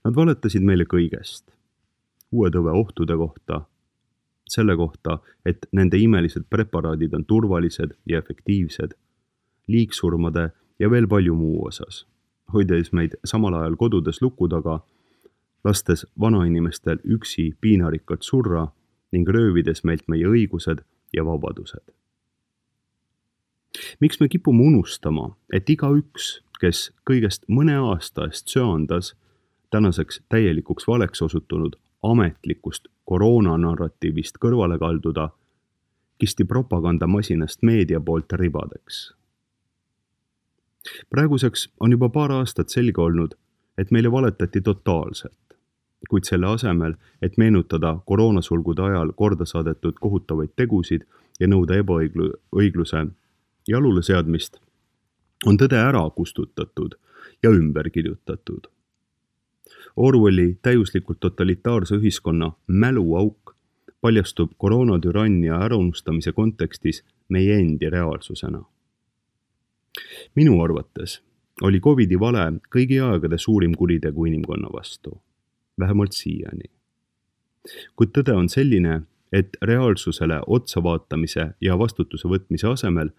Nad valetasid meile kõigest, uue tõve ohtude kohta, selle kohta, et nende imelised preparaadid on turvalised ja efektiivsed, liigsurmade ja veel palju muu osas, hoides meid samal ajal kodudes luku taga, lastes vanainimestel üksi piinarikkalt surra ning röövides meilt meie õigused ja vabadused. Miks me kipume unustama, et igaüks, kes kõigest mõne aasta eest söandas, tänaseks täielikuks valeks osutunud ametlikust koroonanarratiivist kõrvale kalduda, kisti propagandamasinast meedia poolt ribadeks. Praeguseks on juba paar aastat selge olnud, et meile valetati totaalselt, kuid selle asemel, et meenutada koroonasulgude ajal korda saadetud kohutavaid tegusid ja nõuda ebaõigluse jalule seadmist, on tõde ära kustutatud ja ümber kirjutatud. Orwelli täiuslikult totalitaarse ühiskonna mäluauk paljastub koroonatürannia äraunustamise kontekstis meie endi reaalsusena. Minu arvates oli COVID-i vale kõigi aegade suurim kuritegu inimkonna vastu, vähemalt siiani. Kuid tõde on selline, et reaalsusele otsa vaatamise ja vastutuse võtmise asemel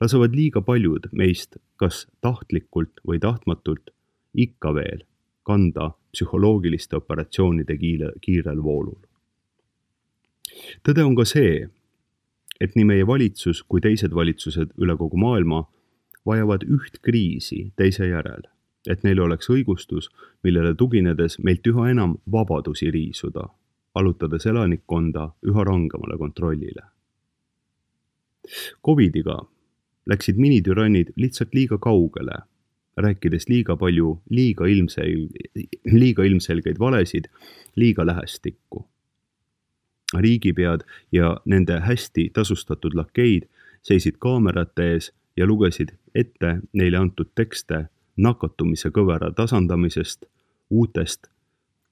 lasevad liiga paljud meist kas tahtlikult või tahtmatult ikka veel kanda psühholoogiliste operatsioonide kiirel voolul. Tõde on ka see, et nii meie valitsus kui teised valitsused üle kogu maailma vajavad üht kriisi teise järel, et neil oleks õigustus, millele tuginedes meilt üha enam vabadusi riisuda, allutades elanikkonda üha rangemale kontrollile. COVID-iga läksid minitürannid lihtsalt liiga kaugele, rääkides liiga palju liiga ilmselgeid valesid liiga lähestikku. Riigipead ja nende hästi tasustatud lakeid seisid kaamerate ees ja lugesid ette neile antud tekste nakatumise kõvera tasandamisest,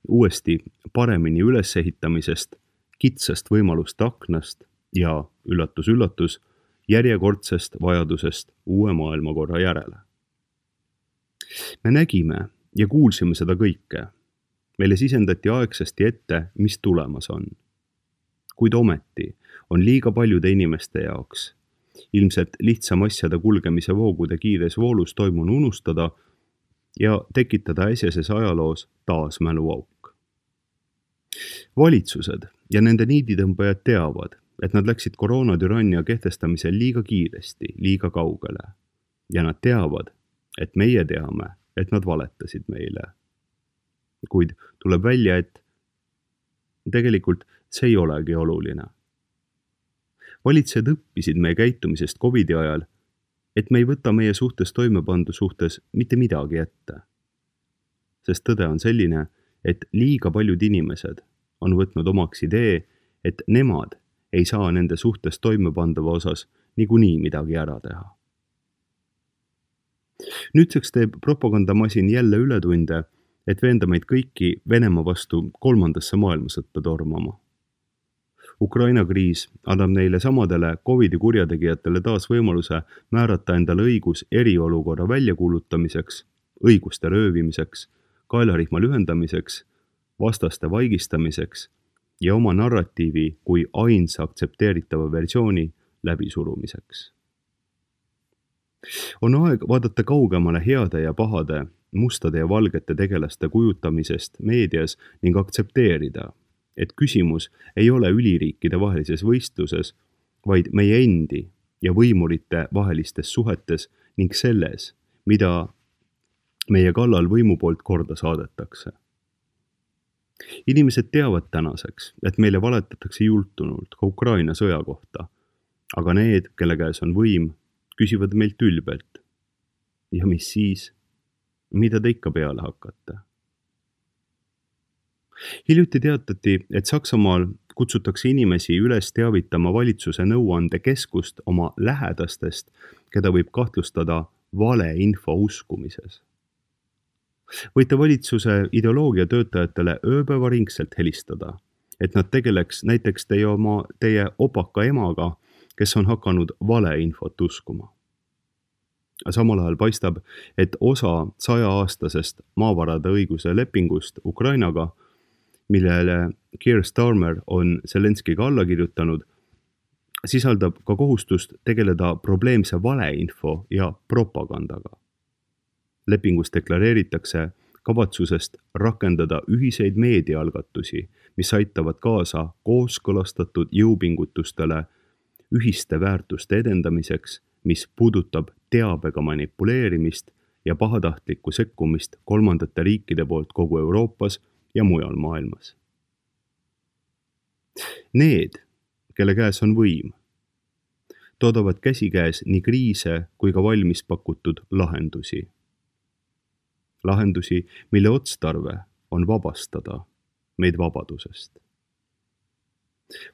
uuesti paremini ülesehitamisest, kitsast võimaluste aknast ja, üllatus, järjekordsest vajadusest uue maailmakorra järele. Me nägime ja kuulsime seda kõike. Meile sisendati aegsasti ette, mis tulemas on. Kuid ometi on liiga paljude inimeste jaoks ilmselt lihtsam asjade kulgemise voogude kiires voolus toimunu unustada ja tekitada äsjases ajaloos taas mäluauk. Valitsused ja nende niiditõmbajad teavad, et nad läksid koroonatürannia kehtestamisel liiga kiiresti, liiga kaugele. Ja nad teavad, et meie teame, et nad valetasid meile. Kuid tuleb välja, et tegelikult see ei olegi oluline. Valitsejad õppisid meie käitumisest COVID-i ajal, et me ei võta meie suhtes toimepandu suhtes mitte midagi ette. Sest tõde on selline, et liiga paljud inimesed on võtnud omaks idee, et nemad ei saa nende suhtes toimepandava osas niikuinii midagi ära teha. Nüüdseks teeb propagandamasin jälle ületunde, et veenda meid kõiki Venemaa vastu 3. maailmasõtta tormama. Ukraina kriis annab neile samadele COVID-i kurjategijatele taas võimaluse määrata endale õigus eriolukorra väljakuulutamiseks, õiguste röövimiseks, kaelarihma lühendamiseks, vastaste vaigistamiseks ja oma narratiivi kui ainsa aktsepteeritava versiooni läbisurumiseks. On aeg vaadata kaugemale heade ja pahade, mustade ja valgete tegelaste kujutamisest meedias ning aktsepteerida, et küsimus ei ole üliriikide vahelises võistluses, vaid meie endi ja võimurite vahelistes suhetes ning selles, mida meie kallal võimu poolt korda saadetakse. Inimesed teavad tänaseks, et meile valetatakse jultunult ka Ukraina sõja kohta, aga need, kelle käes on võim, küsivad meilt ülbelt. Ja mis siis? Mida te ikka peale hakkate? Hiljuti teatati, et Saksamaal kutsutakse inimesi üles teavitama valitsuse nõuandekeskust oma lähedastest, keda võib kahtlustada valeinfo uskumises. Võite valitsuse ideoloogia töötajatele ööpäevaringselt helistada, et nad tegeleks näiteks teie opaka emaga, kes on hakanud valeinfot uskuma. Samal ajal paistab, et osa 100-aastasest maavarade õiguse lepingust Ukrainaga, millele Keir Starmer on Zelenskiga alla kirjutanud, sisaldab ka kohustust tegeleda probleemse valeinfo ja propagandaga. Lepingus deklareeritakse kavatsusest rakendada ühiseid meediaalgatusi, mis aitavad kaasa kooskõlastatud jõupingutustele ühiste väärtuste edendamiseks, mis puudutab teabega manipuleerimist ja pahatahtlikku sekkumist kolmandate riikide poolt kogu Euroopas ja mujal maailmas. Need, kelle käes on võim, toodavad käsikäes nii kriise kui ka valmis pakutud lahendusi. Lahendusi, mille otstarve on vabastada meid vabadusest.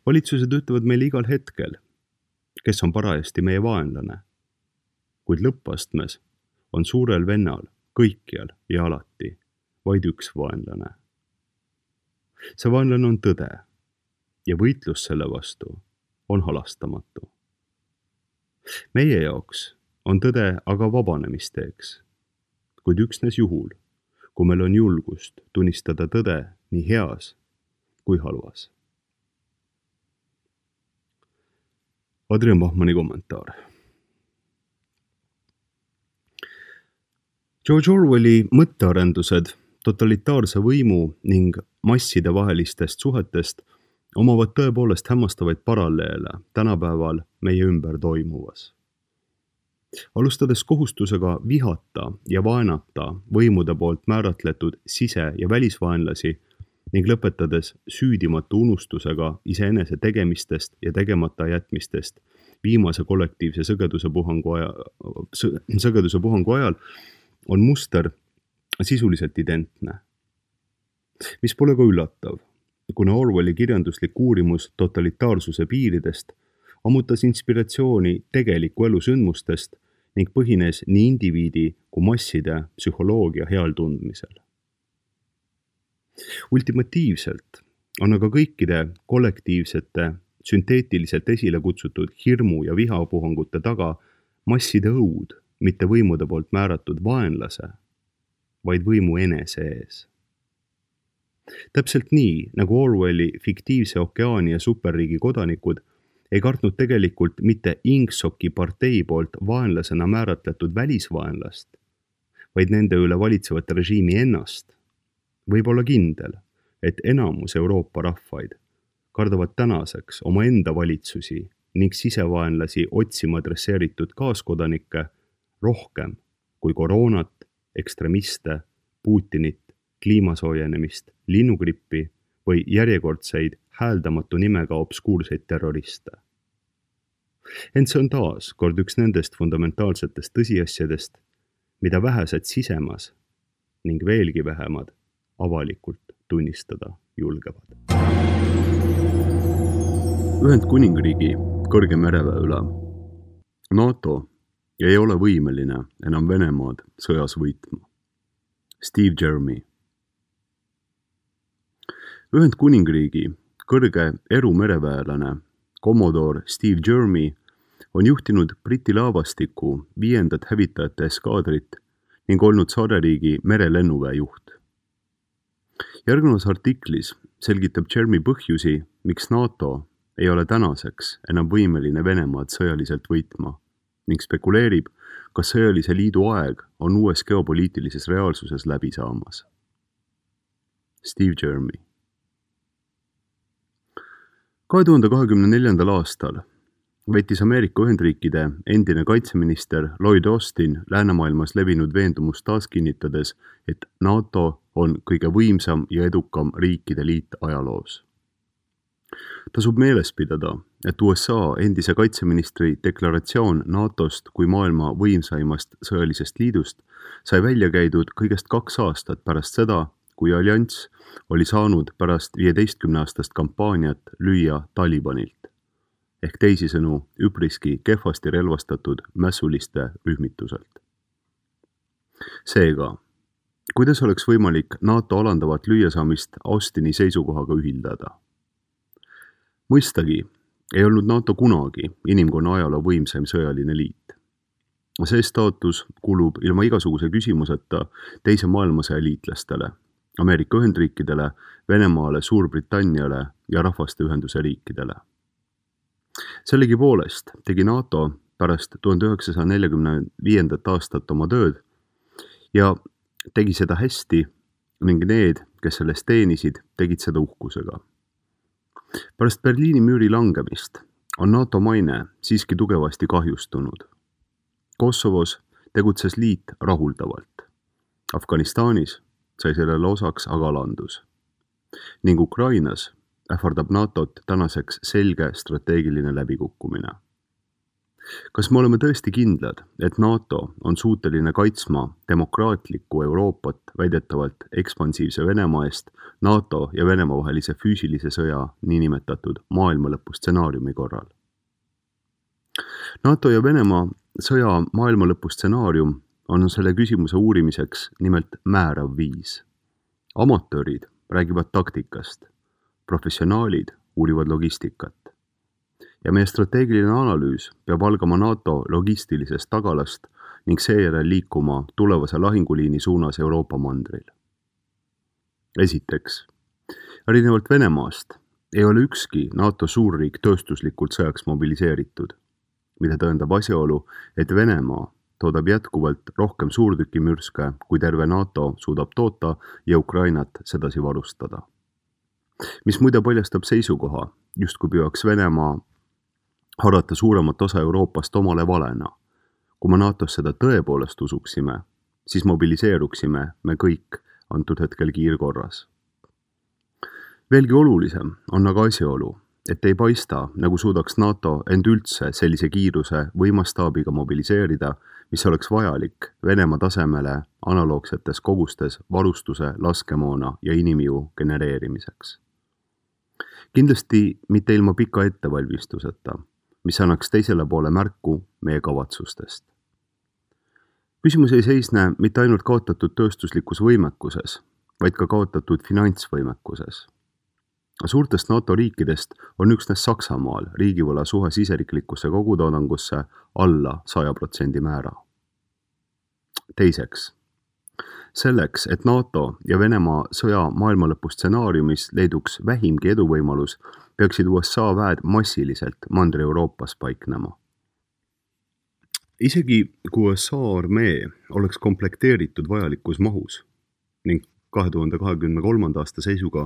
Valitsused ütlevad meile igal hetkel, kes on parajasti meie vaenlane, kuid lõppastmes on suurel vennal kõikjal ja alati vaid üks vaenlane. See vaenlane on tõde ja võitlus selle vastu on halastamatu. Meie jaoks on tõde aga vabanemisteeks, kuid üksnes juhul, kui meil on julgust tunnistada tõde nii heas kui halvas. Adrian Bachmanni kommentaar. George Orwelli mõttearendused totalitaarse võimu ning masside vahelistest suhetest omavad tõepoolest hämmastavaid paralleele tänapäeval meie ümber toimuvas. Alustades kohustusega vihata ja vaenata võimude poolt määratletud sise- ja välisvaenlasi ning lõpetades süüdimatu unustusega iseenese tegemistest ja tegemata jätmistest viimase kollektiivse sõgeduse puhangu ajal on muster sisuliselt identne. Mis pole ka üllatav, kuna Orwelli kirjanduslik uurimus totalitaarsuse piiridest ammutas inspiratsiooni tegeliku elu sündmustest ning põhines nii indiviidi kui masside psühholoogia heal tundmisel. Ultimatiivselt on aga kõikide kollektiivsete, sünteetiliselt esile kutsutud hirmu ja vihapuhangute taga masside õud, mitte võimude poolt määratud vaenlase, vaid võimu enese ees. Täpselt nii, nagu Orwelli fiktiivse okeaani ja superriigi kodanikud ei kartnud tegelikult mitte Ingsoki partei poolt vaenlasena määratletud välisvaenlast, vaid nende üle valitsevat režiimi ennast, võib olla kindel, et enamus Euroopa rahvaid kardavad tänaseks oma enda valitsusi ning sisevaenlasi otsima adresseeritud kaaskodanikke rohkem kui koroonat, ekstremiste, Putinit, kliimasoojenemist, linnugrippi või järjekordseid hääldamatu nimega obskuurseid terroriste. Ent see on taas kord üks nendest fundamentaalsetest tõsiasjadest, mida vähesed sisemas ning veelgi vähemad avalikult tunnistada julgevad. Ühendkuningriigi kõrge mereväe üle. NATO ei ole võimeline enam Venemaad sõjas võitma. Steve Jeremy. Ühendkuningriigi kõrge erumereväelane Commodore Steve Jeremy on juhtinud Briti laevastiku 5. hävitajate eskaadrit ning olnud saareriigi merelennuväe juht. Järgnevas artiklis selgitab Jeremy põhjusi, miks NATO ei ole tänaseks enam võimeline Venemaad sõjaliselt võitma ning spekuleerib, kas sõjalise liidu aeg on uues geopoliitilises reaalsuses läbi saamas. Steve Jeremy. 2024. aastal võttis Ameerika Ühendriikide endine kaitseminister Lloyd Austin läänemaailmas levinud veendumust taas kinnitades, et NATO on kõige võimsam ja edukam riikide liit ajaloos. Tasub meeles pidada, et USA endise kaitseministri deklaratsioon NATOst kui maailma võimsaimast sõjalisest liidust sai välja käidud kõigest 2 aastat pärast seda, kui allianss oli saanud pärast 15-aastast kampaaniat lüüa Talibanilt, ehk teisisõnu üpriski kehvasti relvastatud mässuliste rühmituselt. Seega, kuidas oleks võimalik NATO alandavat lüüasaamist Austini seisukohaga ühildada? Mõistagi ei olnud NATO kunagi inimkonna ajaloo võimsaim sõjaline liit. See staatus kulub ilma igasuguse küsimuseta teise maailmasõja liitlastele, Ameerika Ühendriikidele, Venemaale, Suurbritanniale ja Rahvaste Ühenduse riikidele. Sellegipoolest tegi NATO pärast 1945. aastat oma tööd ja tegi seda hästi ning need, kes sellest teenisid, tegid seda uhkusega. Pärast Berliini müüri langemist on NATO maine siiski tugevasti kahjustunud. Kosovos tegutses liit rahuldavalt. Afganistanis sai sellele osaks aga alandus. Ning Ukrainas ähvardab NATOt tänaseks selge strateegiline läbikukkumine. Kas me oleme tõesti kindlad, et NATO on suuteline kaitsma demokraatlikku Euroopat väidetavalt ekspansiivse Venemaa eest NATO ja Venemaa vahelise füüsilise sõja niinimetatud maailmalõpu stsenaariumi korral? NATO ja Venemaa sõja maailmalõpu stsenaarium on selle küsimuse uurimiseks nimelt määrav viis. Amatöörid räägivad taktikast, professionaalid uurivad logistikat. Ja meie strateegiline analüüs peab algama NATO logistilisest tagalast ning seejärel liikuma tulevase lahinguliini suunas Euroopa mandril. Esiteks, erinevalt Venemaast ei ole ükski NATO suurriik tööstuslikult sõjaks mobiliseeritud, mida tõendab asjaolu, et Venemaa toodab jätkuvalt rohkem suurtükimürske, kui terve NATO suudab toota ja Ukrainat sedasi varustada. Mis muide paljastab seisukoha, justkui püüaks Venemaa harata suuremat osa Euroopast omale valena. Kui me NATOs seda tõepoolest usuksime, siis mobiliseeruksime me kõik antud hetkel kiirkorras. Veelgi olulisem on aga asjaolu, et ei paista, nagu suudaks NATO end üldse sellise kiiruse või mastaabiga mobiliseerida, mis oleks vajalik Venemaa tasemele analoogsetes kogustes varustuse, laskemoona ja inimjõu genereerimiseks. Kindlasti mitte ilma pika ettevalmistuseta, mis annaks teisele poole märku meie kavatsustest. Küsimus ei seisne mitte ainult kaotatud tööstuslikus võimekuses, vaid ka kaotatud finantsvõimekuses. Suurtest NATO riikidest on üksnes Saksamaal riigivõla suhe siseriklikusse kogutoodangusse alla 100% määra. Teiseks, selleks, et NATO ja Venemaa sõja maailmalõpu stsenaariumis leiduks vähimgi eduvõimalus, peaksid USA väed massiliselt Mandri-Euroopas paiknema. Isegi kui USA armee oleks komplekteeritud vajalikus mahus ning 2023. aasta seisuga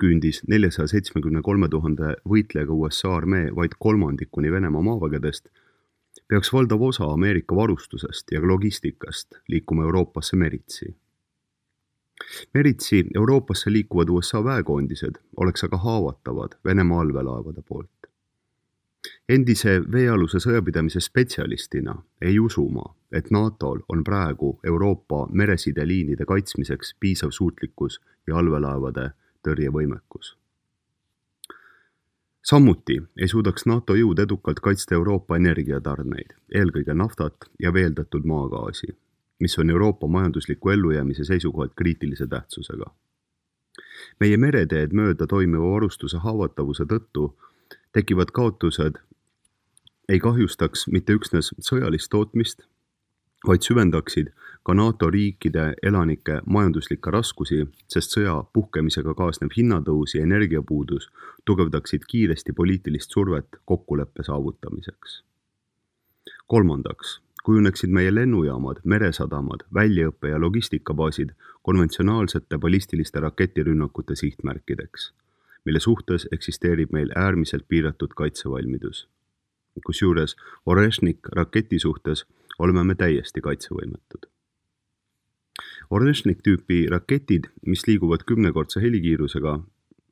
küündis 473 000 võitlejaga USA armee vaid kolmandikuni Venemaa maavägedest, peaks valdav osa Ameerika varustusest ja logistikast liikuma Euroopasse meritsi. Meritsi Euroopasse liikuvad USA väekoondised oleks aga haavatavad Venemaa allveelaevade poolt. Endise veealuse sõjapidamise spetsialistina ei usu ma, et NATOl on praegu Euroopa meresideliinide kaitsmiseks piisav suutlikkus ja allveelaevade tõrjevõimekus. Samuti ei suudaks NATO jõud edukalt kaitsta Euroopa energiatarneid, eelkõige naftat ja veeldatud maagaasi, mis on Euroopa majandusliku ellujäämise seisukohalt kriitilise tähtsusega. Meie mereteed mööda toimiva varustuse haavatavuse tõttu tekivad kaotused ei kahjustaks mitte üksnes sõjalist tootmist, vaid süvendaksid ka NATO riikide elanike majanduslikke raskusi, sest sõja puhkemisega kaasnev hinnatõus ja energiapuudus tugevdaksid kiiresti poliitilist survet kokkuleppe saavutamiseks. Kolmandaks, kujuneksid meie lennujaamad, meresadamad, väljaõppe- ja logistikabaasid konventsionaalsete ballistiliste raketirünnakute sihtmärkideks, mille suhtes eksisteerib meil äärmiselt piiratud kaitsevalmidus. Kusjuures Oreshnik raketi suhtes oleme me täiesti kaitsevõimetud. Oreshnik tüüpi raketid, mis liiguvad 10-kordse helikiirusega,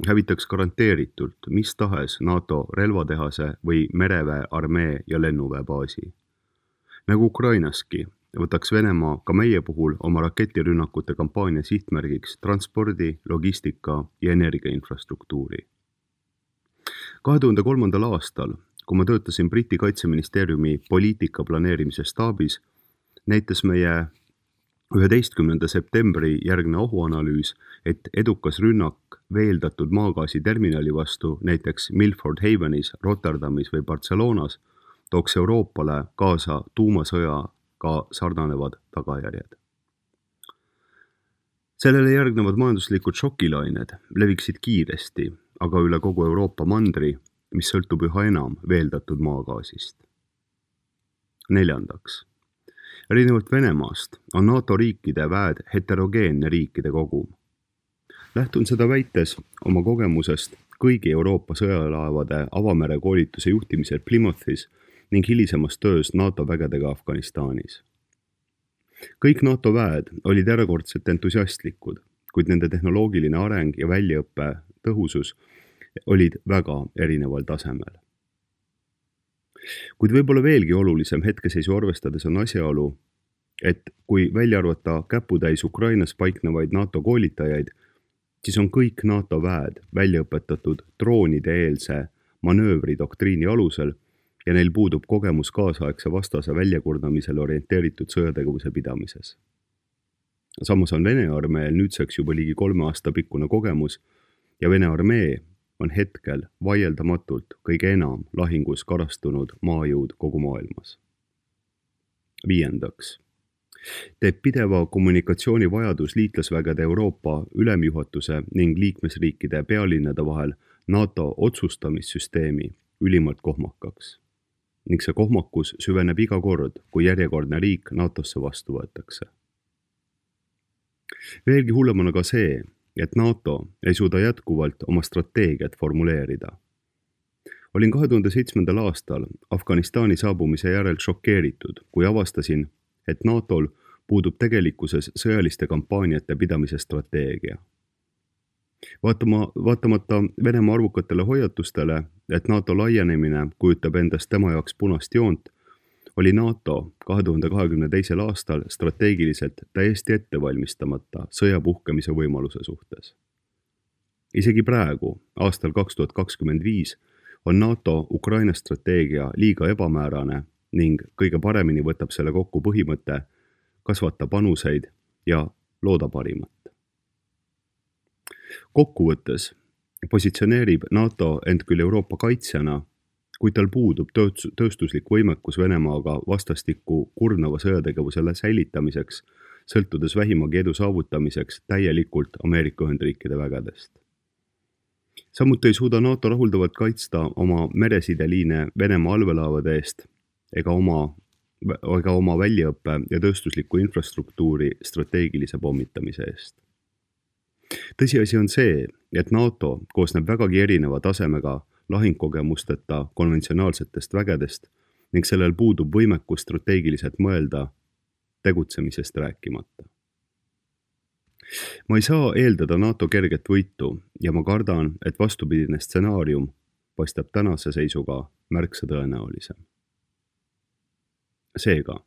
hävitaks garanteeritult mis tahes NATO relvatehase või mereväe, armee ja lennuväe baasi. Nagu Ukrainaski, võtaks Venemaa ka meie puhul oma raketirünnakute kampaania sihtmärgiks transpordi, logistika ja energiainfrastruktuuri. 2003. aastal, kui ma töötasin Briti kaitseministeeriumi poliitika planeerimise staabis, näitas meie 11. septembri järgne ohuanalüüs, et edukas rünnak veeldatud maagaasi terminali vastu näiteks Milford Havenis, Rotterdamis või Barcelonas tooks Euroopale kaasa tuumasõjaga sarnanevad tagajärjed. Sellele järgnevad majanduslikud šokilained leviksid kiiresti, aga üle kogu Euroopa mandri, mis sõltub üha enam veeldatud maagaasist. 4. Erinevalt Venemaast on NATO riikide väed heterogeenne riikide kogum. Lähtun seda väites oma kogemusest kõigi Euroopa sõjalaevade avamere koolituse juhtimisel Plymouthis ning hilisemas töös NATO vägedega Afganistanis. Kõik NATO väed olid erakordselt entusiastlikud, kuid nende tehnoloogiline areng ja väljaõppe tõhusus olid väga erineval tasemel. Kuid võib-olla veelgi olulisem hetkeseisu arvestades on asjaolu, et kui välja arvata käputäis Ukrainas paiknevaid NATO koolitajaid, siis on kõik NATO väed välja õpetatud droonide-eelse manöövridoktriini alusel ja neil puudub kogemus kaasaegse vastase väljakurnamisele orienteeritud sõjategevuse pidamises. Samas on Vene armeel nüüdseks juba ligi 3 aasta pikkune kogemus ja Vene armee on hetkel vaieldamatult kõige enam lahingus karastunud maajõud kogu maailmas. 5. Teeb pideva kommunikatsiooni vajadus liitlasvägede Euroopa ülemjuhatuse ning liikmesriikide pealinnade vahel NATO otsustamissüsteemi ülimalt kohmakaks. Ning see kohmakus süveneb iga kord, kui järjekordne riik NATOsse vastu võetakse. Veelgi hullem on aga see, et NATO ei suuda jätkuvalt oma strateegiat formuleerida. Olin 2007. aastal Afganistani saabumise järel šokeeritud, kui avastasin, et NATOl puudub tegelikkuses sõjaliste kampaaniate pidamise strateegia. Vaatamata Venemaa arvukatele hoiatustele, et NATO laienemine kujutab endast tema jaoks punast joont, oli NATO 2022. aastal strateegiliselt täiesti ettevalmistamata sõja puhkemise võimaluse suhtes. Isegi praegu, aastal 2025, on NATO Ukraina strateegia liiga ebamäärane ning kõige paremini võtab selle kokku põhimõte kasvata panuseid ja looda parimat. Kokkuvõttes positsioneerib NATO end küll Euroopa kaitsjana, kuid tal puudub tööstuslik võimekus Venemaaga vastastikku kurnava sõjategevusele säilitamiseks, sõltudes vähimagi edu saavutamiseks täielikult Ameerika Ühendriikide vägedest. Samuti ei suuda NATO rahuldavalt kaitsta oma meresideliine Venemaa allveelaevade eest ega oma väljaõppe ja tööstusliku infrastruktuuri strateegilise pommitamise eest. Tõsiasi on see, et NATO koosneb vägagi erineva tasemega lahingkogemusteta konventsionaalsetest vägedest ning sellel puudub võimekus strateegiliselt mõelda, tegutsemisest rääkimata. Ma ei saa eeldada NATO kerget võitu ja ma kardan, et vastupidine stsenaarium paistab tänase seisuga märksa tõenäolisem. Seega,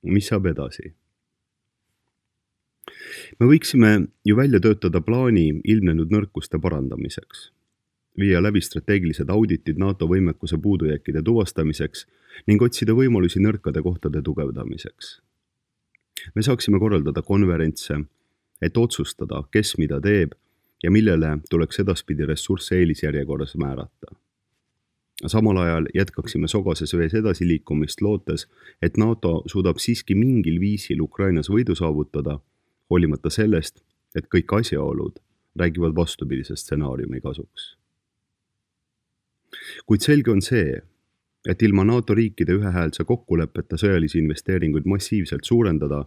mis saab edasi? Me võiksime ju välja töötada plaani ilmnenud nõrkuste parandamiseks, viia läbi strateegilised auditid NATO võimekuse puudujääkide tuvastamiseks ning otsida võimalusi nõrkade kohtade tugevdamiseks. Me saaksime korraldada konverentse, et otsustada, kes mida teeb ja millele tuleks edaspidi ressursse eelisjärjekorras määrata. Samal ajal jätkaksime sogases vees edasiliikumist lootes, et NATO suudab siiski mingil viisil Ukrainas võidu saavutada, hoolimata sellest, et kõik asjaolud räägivad vastupidise stsenaariumi kasuks. Kuid selge on see, et ilma NATO riikide ühehäälse kokkuleppeta sõjalisi investeeringuid massiivselt suurendada,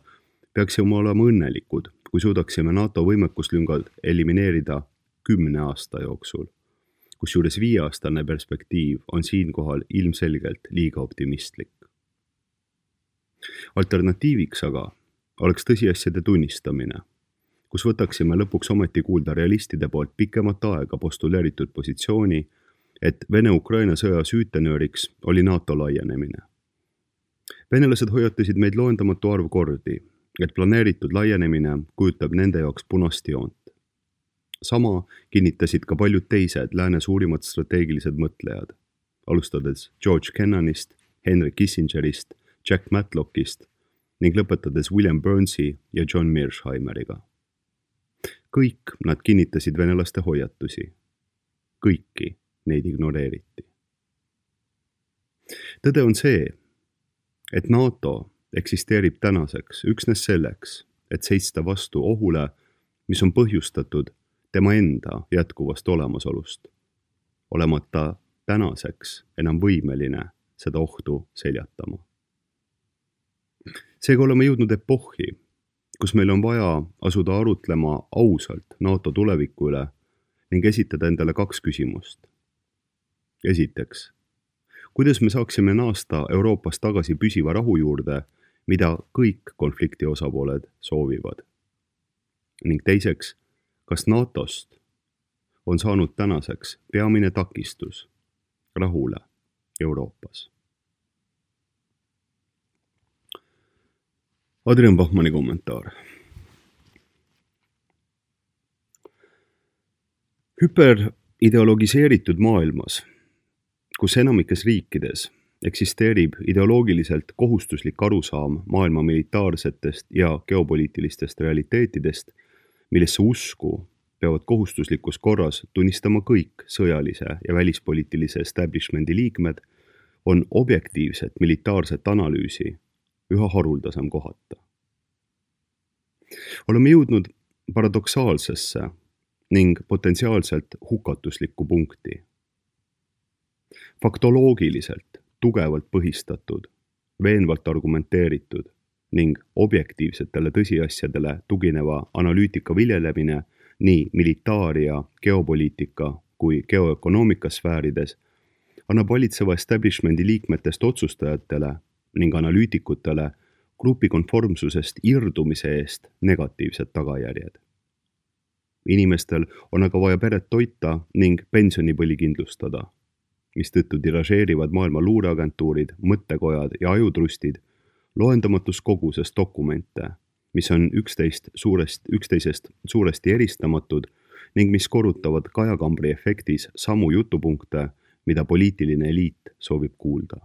peaksime olema õnnelikud, kui suudaksime NATO võimekuslüngad elimineerida 10 aasta jooksul, kusjuures 5-aastane perspektiiv on siinkohal ilmselgelt liiga optimistlik. Alternatiiviks aga oleks tõsiasjade tunnistamine, kus võtaksime lõpuks ometi kuulda realistide poolt pikemat aega postuleeritud positsiooni, et Vene-Ukraina sõja süütenööriks oli NATO laienemine. Venelased hoiatasid meid loendamatu arv kordi, et planeeritud laienemine kujutab nende jaoks punast joont. Sama kinnitasid ka paljud teised lääne suurimad strateegilised mõtlejad, alustades George Kennanist, Henry Kissingerist, Jack Matlockist ning lõpetades William Burnsi ja John Mearshheimeriga. Kõik nad kinnitasid venelaste hoiatusi. Kõiki neid ignoreeriti. Tõde on see, et NATO eksisteerib tänaseks üksnes selleks, et seista vastu ohule, mis on põhjustatud tema enda jätkuvast olemasolust, olemata tänaseks enam võimeline seda ohtu seljatama. Seega oleme jõudnud epohhi, kus meil on vaja asuda arutlema ausalt NATO tuleviku üle ning esitada endale 2 küsimust. Esiteks, kuidas me saaksime naasta Euroopas tagasi püsiva rahu juurde, mida kõik konflikti osapooled soovivad? Ning teiseks, kas NATOst on saanud tänaseks peamine takistus rahule Euroopas? Adrian Bachmanni kommentaar. Hüperideologiseeritud maailmas, kus enamikes riikides eksisteerib ideoloogiliselt kohustuslik arusaam maailma militaarsetest ja geopoliitilistest realiteetidest, millesse usku peavad kohustuslikus korras tunnistama kõik sõjalise ja välispoliitilise establishmendi liikmed, on objektiivset militaarset analüüsi üha haruldasem kohata. Oleme jõudnud paradoksaalsesse ning potentsiaalselt hukatuslikku punkti. Faktoloogiliselt tugevalt põhistatud, veenvalt argumenteeritud ning objektiivsetele tõsiasjadele tugineva analüütika viljelemine nii militaar- ja geopoliitika kui geoökonoomika sfäärides annab valitseva establishmendi liikmetest otsustajatele ning analüütikutele grupi konformsusest irdumise eest negatiivsed tagajärjed. Inimestel on aga vaja peret toita ning pensionipõli kindlustada, mistõttu tiražeerivad maailma luureagentuurid, mõttekojad ja ajutrustid loendamatus koguses dokumente, mis on üksteisest suuresti eristamatud ning mis korrutavad kajakambri efektis samu jutupunkte, mida poliitiline eliit soovib kuulda.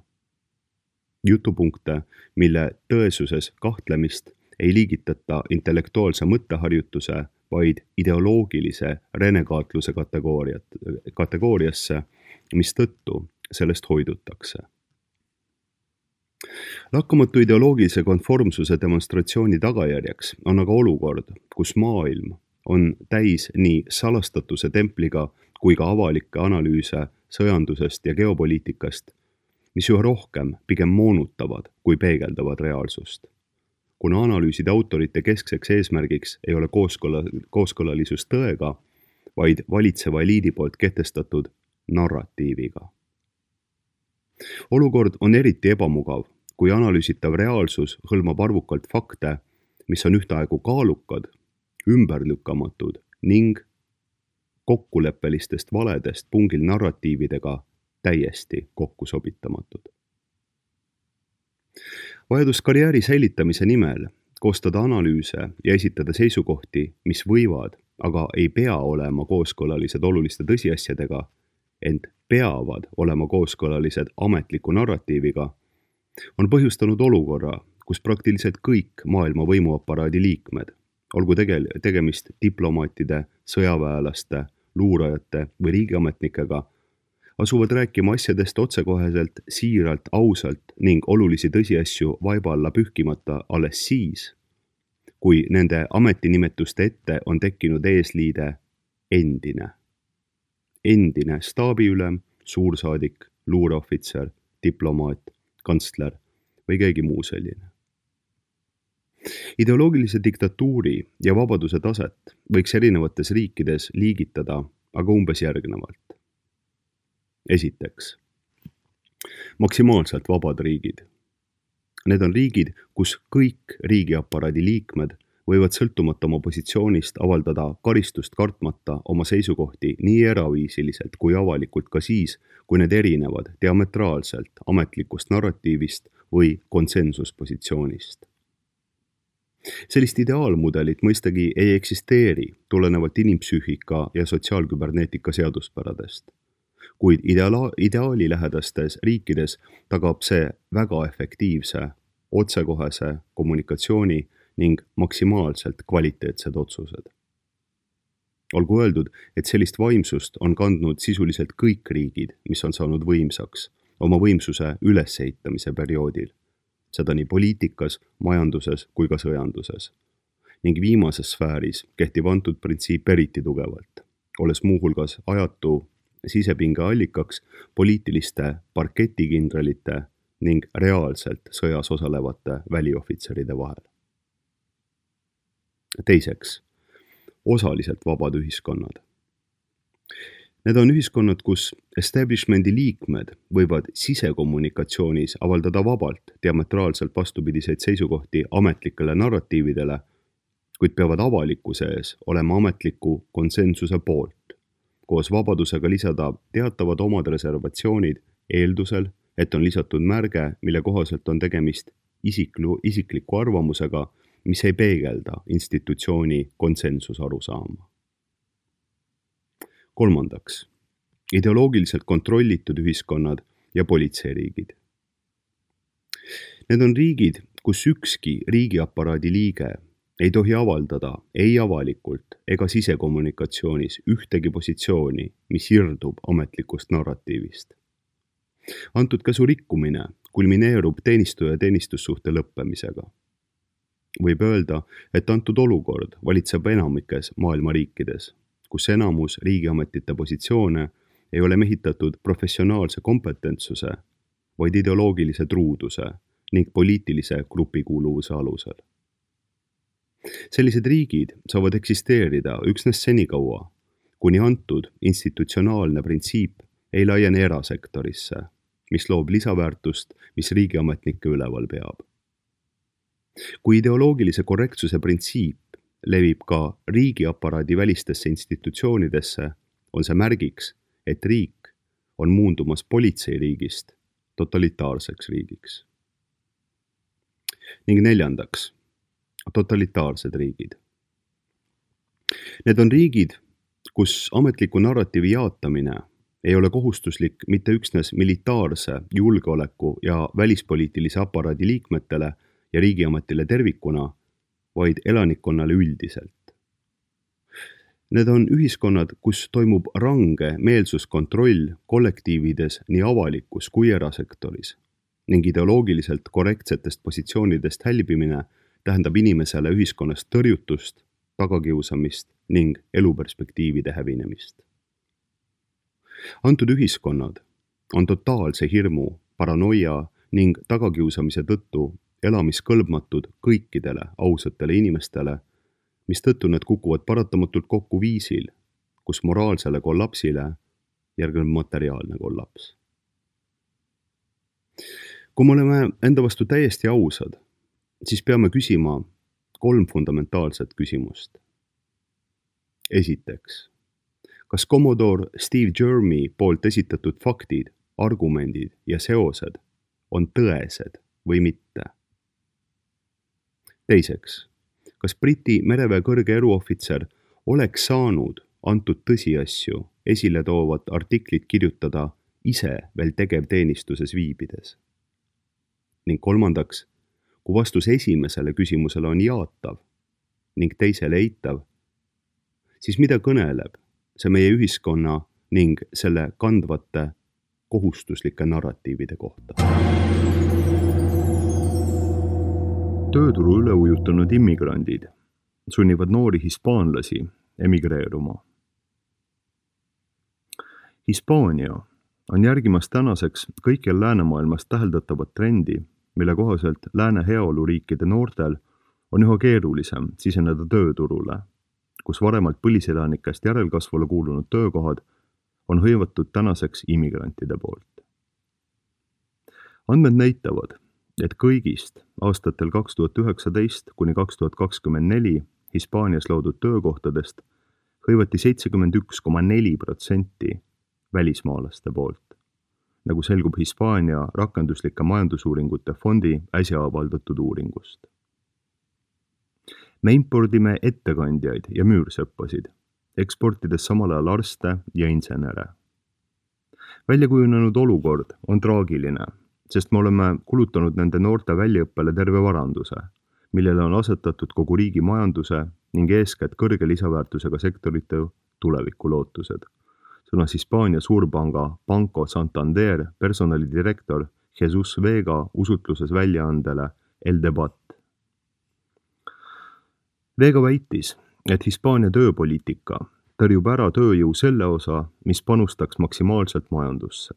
Jutupunkte, mille tõesuses kahtlemist ei liigitata intellektuaalse mõtteharjutuse, vaid ideoloogilise renegaatluse kategooriasse, mistõttu sellest hoidutakse. Lakkamatu ideoloogilise konformsuse demonstratsiooni tagajärjeks on aga olukord, kus maailm on täis nii salastatuse templiga kui ka avalikke analüüse sõjandusest ja geopoliitikast, mis üha rohkem pigem moonutavad kui peegeldavad reaalsust. Kuna analüüside autorite keskseks eesmärgiks ei ole kooskõlalisus tõega, vaid valitseva eliidi poolt kehtestatud narratiiviga. Olukord on eriti ebamugav, kui analüüsitav reaalsus hõlmab arvukalt fakte, mis on ühtaegu kaalukad, ümberlükkamatud ning kokkuleppelistest valedest pungil narratiividega täiesti kokkusobitamatud. Vajadus karjääri säilitamise nimel koostada analüüse ja esitada seisukohti, mis võivad, aga ei pea olema kooskõlalised oluliste tõsiasjadega, ent peavad olema kooskõlalised ametliku narratiiviga, on põhjustanud olukorra, kus praktiliselt kõik maailma võimuaparaadi liikmed, olgu tegemist diplomaatide, sõjaväelaste, luurajate või riigiametnikega, asuvad rääkima asjadest otsekoheselt, siiralt, ausalt ning olulisi tõsiasju vaiba alla pühkimata alles siis, kui nende ametinimetuste ette on tekkinud eesliide endine. Endine staabiülem, suursaadik, luureohvitser, diplomaat, kantsler või keegi muu selline. Ideoloogilise diktatuuri ja vabaduse taset võiks erinevates riikides liigitada aga umbes järgnevalt. Esiteks, maksimaalselt vabad riigid. Need on riigid, kus kõik riigiaparaadi liikmed võivad sõltumata oma positsioonist avaldada karistust kartmata oma seisukohti nii eraviisiliselt kui avalikult ka siis, kui need erinevad diametraalselt ametlikust narratiivist või konsensuspositsioonist. Sellist ideaalmudelit mõistagi ei eksisteeri tulenevalt inimpsüühika ja sotsiaalküberneetika seaduspäradest, kuid ideaalilähedastes riikides tagab see väga efektiivse, otsekohese kommunikatsiooni ning maksimaalselt kvaliteetsed otsused. Olgu öeldud, et sellist vaimsust on kandnud sisuliselt kõik riigid, mis on saanud võimsaks oma võimsuse ülesehitamise perioodil, seda nii poliitikas, majanduses kui ka sõjanduses. Ning viimases sfääris kehtib antud printsiip eriti tugevalt, olles muuhulgas ajatu sisepinge allikaks poliitiliste parketikindralite ning reaalselt sõjas osalevate väliohvitseride vahel. Teiseks, osaliselt vabad ühiskonnad. Need on ühiskonnad, kus establishmendi liikmed võivad sisekommunikatsioonis avaldada vabalt diametraalselt vastupidiseid seisukohti ametlikele narratiividele, kuid peavad avalikkuse ees olema ametliku konsensuse poolt, koos vabadusega lisada teatavad omad reservatsioonid eeldusel, et on lisatud märge, mille kohaselt on tegemist isikliku arvamusega, mis ei peegelda institutsiooni konsensusarusaama. Kolmandaks, ideoloogiliselt kontrollitud ühiskonnad ja politseiriigid. Need on riigid, kus ükski riigiaparaadi liige ei tohi avaldada ei avalikult ega sisekommunikatsioonis ühtegi positsiooni, mis irdub ametlikust narratiivist. Antud käsu rikkumine kulmineerub teenistuja teenistussuhte lõppemisega. Võib öelda, et antud olukord valitseb enamikes maailma riikides, kus enamus riigiametite positsioone ei ole mehitatud professionaalse kompetentsuse, vaid ideoloogilise truuduse ning poliitilise grupikuuluvuse alusel. Sellised riigid saavad eksisteerida üksnes senikaua, kuni antud institutsionaalne printsiip ei laiene erasektorisse, mis loob lisaväärtust, mis riigiametnikke üleval peab. Kui ideoloogilise korrektsuse printsiip levib ka riigiaparaadi välistesse institutsioonidesse, on see märgiks, et riik on muundumas politseiriigist totalitaarseks riigiks. Ning neljandaks, totalitaarsed riigid. Need on riigid, kus ametliku narratiivi jaatamine ei ole kohustuslik mitte üksnes militaarse, julgeoleku ja välispoliitilise aparaadi liikmetele ja riigiametile tervikuna, vaid elanikkonnale üldiselt. Need on ühiskonnad, kus toimub range meelsuskontroll kollektiivides nii avalikus kui erasektoris ning ideoloogiliselt korrektsetest positsioonidest hälbimine tähendab inimesele ühiskonnast tõrjutust, tagakiusamist ning eluperspektiivide hävinemist. Antud ühiskonnad on totaalse hirmu, paranoia ning tagakiusamise tõttu elamiskõlbmatud kõikidele ausatele inimestele, mistõttu need kukuvad paratamatult kokku viisil, kus moraalsele kollapsile järgneb materiaalne kollaps. Kui me oleme enda vastu täiesti ausad, siis peame küsima 3 fundamentaalset küsimust. Esiteks, kas Commodore Steve Jermy poolt esitatud faktid, argumendid ja seosed on tõesed või mitte? Teiseks, kas Briti mereväe kõrge eruohvitser oleks saanud antud tõsiasju esile toovat artiklit kirjutada ise veel tegevteenistuses viibides? Ning kolmandaks, kui vastus esimesele küsimusele on jaatav ning teisele eitav, siis mida kõneleb see meie ühiskonna ning selle kandvate kohustuslike narratiivide kohta? Tööturu üle ujutanud immigrandid sunnivad noori hispaanlasi emigreeruma. Hispaania on järgimas tänaseks kõikjal läänemaailmas täheldatavat trendi, mille kohaselt lääne heaoluriikide noortel on üha keerulisem siseneda tööturule, kus varemalt põliselanikest järelkasvule kuulunud töökohad on hõivatud tänaseks immigrantide poolt. Andmed näitavad, et kõigist aastatel 2019 kuni 2024 Hispaanias loodud töökohtadest hõivati 71,4% välismaalaste poolt, nagu selgub Hispaania rakenduslike majandusuuringute fondi äsja avaldatud uuringust. Me impordime ettekandjaid ja müürsõppasid, eksportides samal ajal arste ja insenere. Väljakujunenud olukord on traagiline, sest me oleme kulutanud nende noorte väljaõppele terve varanduse, millele on asetatud kogu riigi majanduse ning eeskätt kõrge lisaväärtusega sektorite tulevikulootused, sõnas Hispaania suurpanga Banco Santander personalidirektor Jesus Vega usutluses väljaandele El Debat. Vega väitis, et Hispaania tööpoliitika tõrjub ära tööjõu selle osa, mis panustaks maksimaalselt majandusse.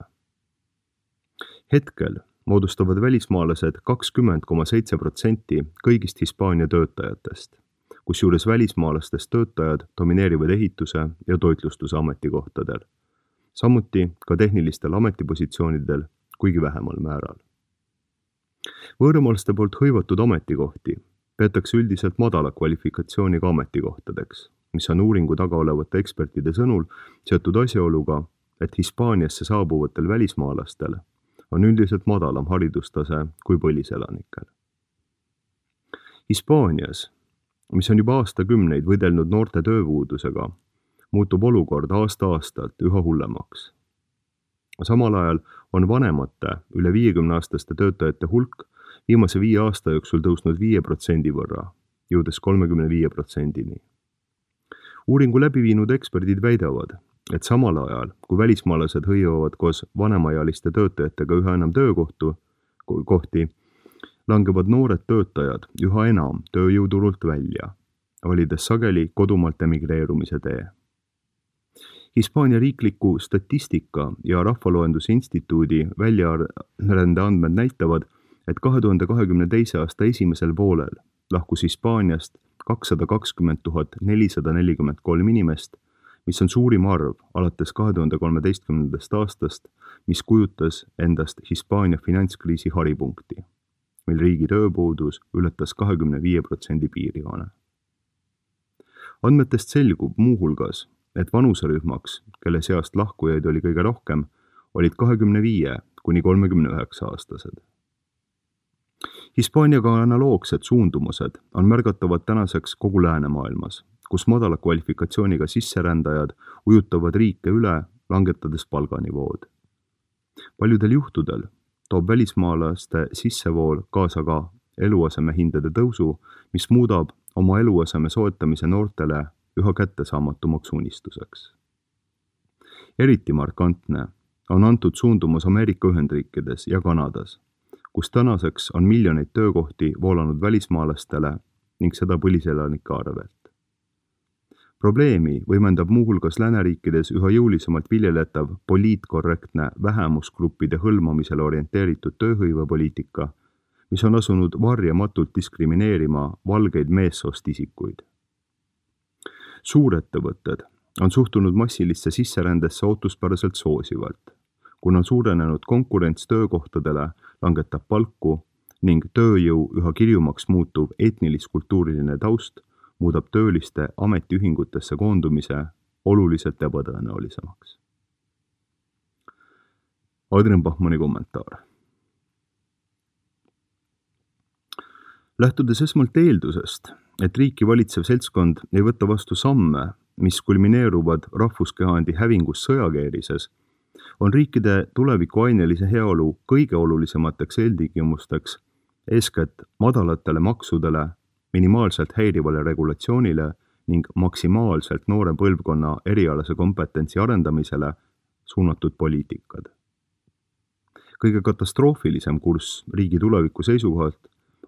Hetkel moodustavad välismaalased 20,7% kõigist Hispaania töötajatest, kusjuures välismaalastest töötajad domineerivad ehituse ja toitlustuse ametikohtadel, samuti ka tehnilistel ametipositsioonidel, kuigi vähemal määral. Võõramaalaste poolt hõivatud ametikohti peetakse üldiselt madala kvalifikatsiooniga ametikohtadeks, mis on uuringu taga olevate ekspertide sõnul seotud asjaoluga, et Hispaaniasse saabuvatel välismaalastel on üldiselt madalam haridustase kui põliselanikel. Hispaanias, mis on juba aastakümneid võidelnud noorte tööpuudusega, muutub olukord aasta-aastalt üha hullemaks. Samal ajal on vanemate üle 50-aastaste töötajate hulk viimase 5 aasta jooksul tõusnud 5% võrra, jõudes 35%-ni. Uuringu läbi viinud eksperdid väidavad, et samal ajal, kui välismaalased hõivavad koos vanemaealiste töötajatega üha enam töökohti, langevad noored töötajad üha enam tööjõuturult välja, valides sageli kodumaalt emigreerumise tee. Hispaania riikliku statistika ja rahvaloenduse instituudi väljarände andmed näitavad, et 2022. aasta esimesel poolel lahkus Hispaaniast 220 443 inimest, mis on suurim arv alates 2013. aastast, mis kujutas endast Hispaania finantskriisi haripunkti, mil riigi tööpuudus ületas 25% piirijoone. Andmetest selgub muuhulgas, et vanuserühmaks, kelle seast lahkujaid oli kõige rohkem, olid 25 kuni 39 aastased. Hispaaniaga analoogsed suundumused on märgatavad tänaseks kogu läänemaailmas, kus madala kvalifikatsiooniga sisserändajad ujutavad riike üle, langetades palganivood. Paljudel juhtudel toob välismaalaste sissevool kaasa ka eluasemehindade tõusu, mis muudab oma eluaseme soetamise noortele üha kättesaamatumaks unistuseks. Eriti markantne on antud suundumus Ameerika Ühendriikides ja Kanadas, kus tänaseks on miljoneid töökohti voolanud välismaalastele ning seda põliselanike arvelt. Probleemi võimendab muuhulgas lääneriikides üha jõulisemalt viljeletav poliitkorrektne vähemusgruppide hõlmamisele orienteeritud tööhõivepoliitika, mis on asunud varjamatult diskrimineerima valgeid meessoost isikuid. Suurettevõtted on suhtunud massilisse sisserändesse ootuspäraselt soosivalt, kuna suurenenud konkurents töökohtadele langetab palku ning tööjõu üha kirjumaks muutuv etnilis-kultuuriline taust muudab tööliste ametiühingutesse koondumise oluliselt ebatõenäolisemaks. Adrian Bachmanni kommentaar. Lähtudes esmalt eeldusest, et riiki valitsev seltskond ei võta vastu samme, mis kulmineeruvad rahvuskehandi hävingus sõjakeerises, on riikide tulevikuainelise heaolu kõige olulisemateks eeltingimusteks eeskätt madalatele maksudele, minimaalselt häirivale regulatsioonile ning maksimaalselt noore põlvkonna erialase kompetentsi arendamisele suunatud poliitikad. Kõige katastroofilisem kurss riigi tuleviku seisukohalt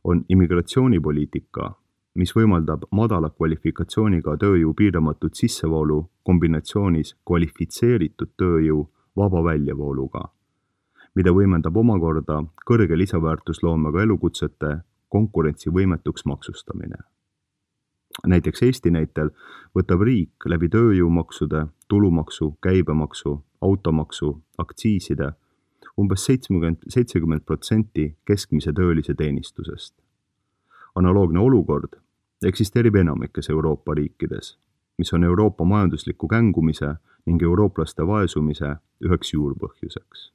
on immigratsioonipoliitika, mis võimaldab madala kvalifikatsiooniga tööjõu piiramatut sissevoolu kombinatsioonis kvalifitseeritud tööjõu vaba väljavooluga, mida võimendab omakorda kõrge lisaväärtusloomega elukutsete konkurentsivõimetuks maksustamine. Näiteks Eesti näitel võtab riik läbi tööjõumaksude, tulumaksu, käibemaksu, automaksu, aktsiiside umbes 70% keskmise töölise teenistusest. Analoogne olukord eksisteerib enamikes Euroopa riikides, mis on Euroopa majandusliku kängumise ning eurooplaste vaesumise üheks juurpõhjuseks.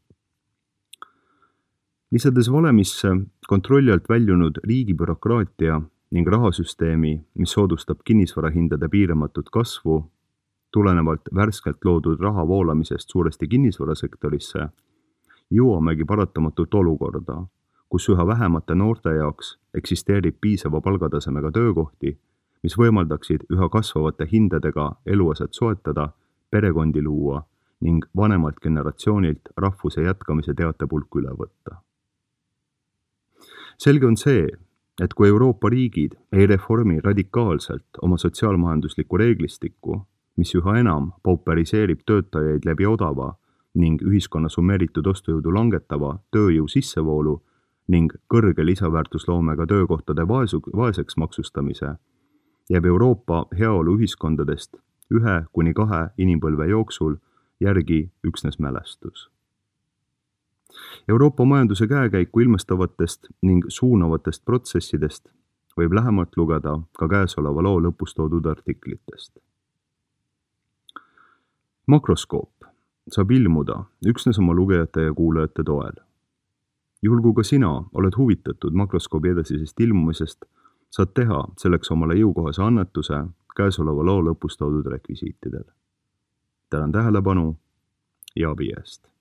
Lisades valemisse kontrolli alt väljunud riigibürokraatia ning rahasüsteemi, mis soodustab kinnisvarahindade piiramatut kasvu, tulenevalt värskelt loodud raha voolamisest suuresti kinnisvarasektorisse, jõuamegi paratamatult olukorda, kus üha vähemate noorte jaoks eksisteerib piisava palgatasemega töökohti, mis võimaldaksid üha kasvavate hindadega eluaset soetada, perekondi luua ning vanemalt generatsioonilt rahvuse jätkamise teatepulk üle võtta. Selge on see, et kui Euroopa riigid ei reformi radikaalselt oma sotsiaalmajanduslikku reeglistikku, mis üha enam pauperiseerib töötajaid läbi odava ning ühiskonna summeeritud ostujõudu langetava tööjõu sissevoolu ning kõrge lisaväärtusloomega töökohtade vaeseks maksustamise, jääb Euroopa heaolu ühiskondadest 1-2 inimpõlve jooksul järgi üksnes mälestus. Euroopa majanduse käekäiku ilmestavatest ning suunavatest protsessidest võib lähemalt lugeda ka käesoleva loo lõpus toodud artiklitest. Makroskoop saab ilmuda üksnes oma lugejate ja kuulajate toel. Juhul kui ka sina oled huvitatud makroskoobi edasisest ilmumisest, saad teha selleks omale jõukohase annetuse käesoleva loo lõpus toodud rekvisiitidel. Tänan tähelepanu ja abi eest!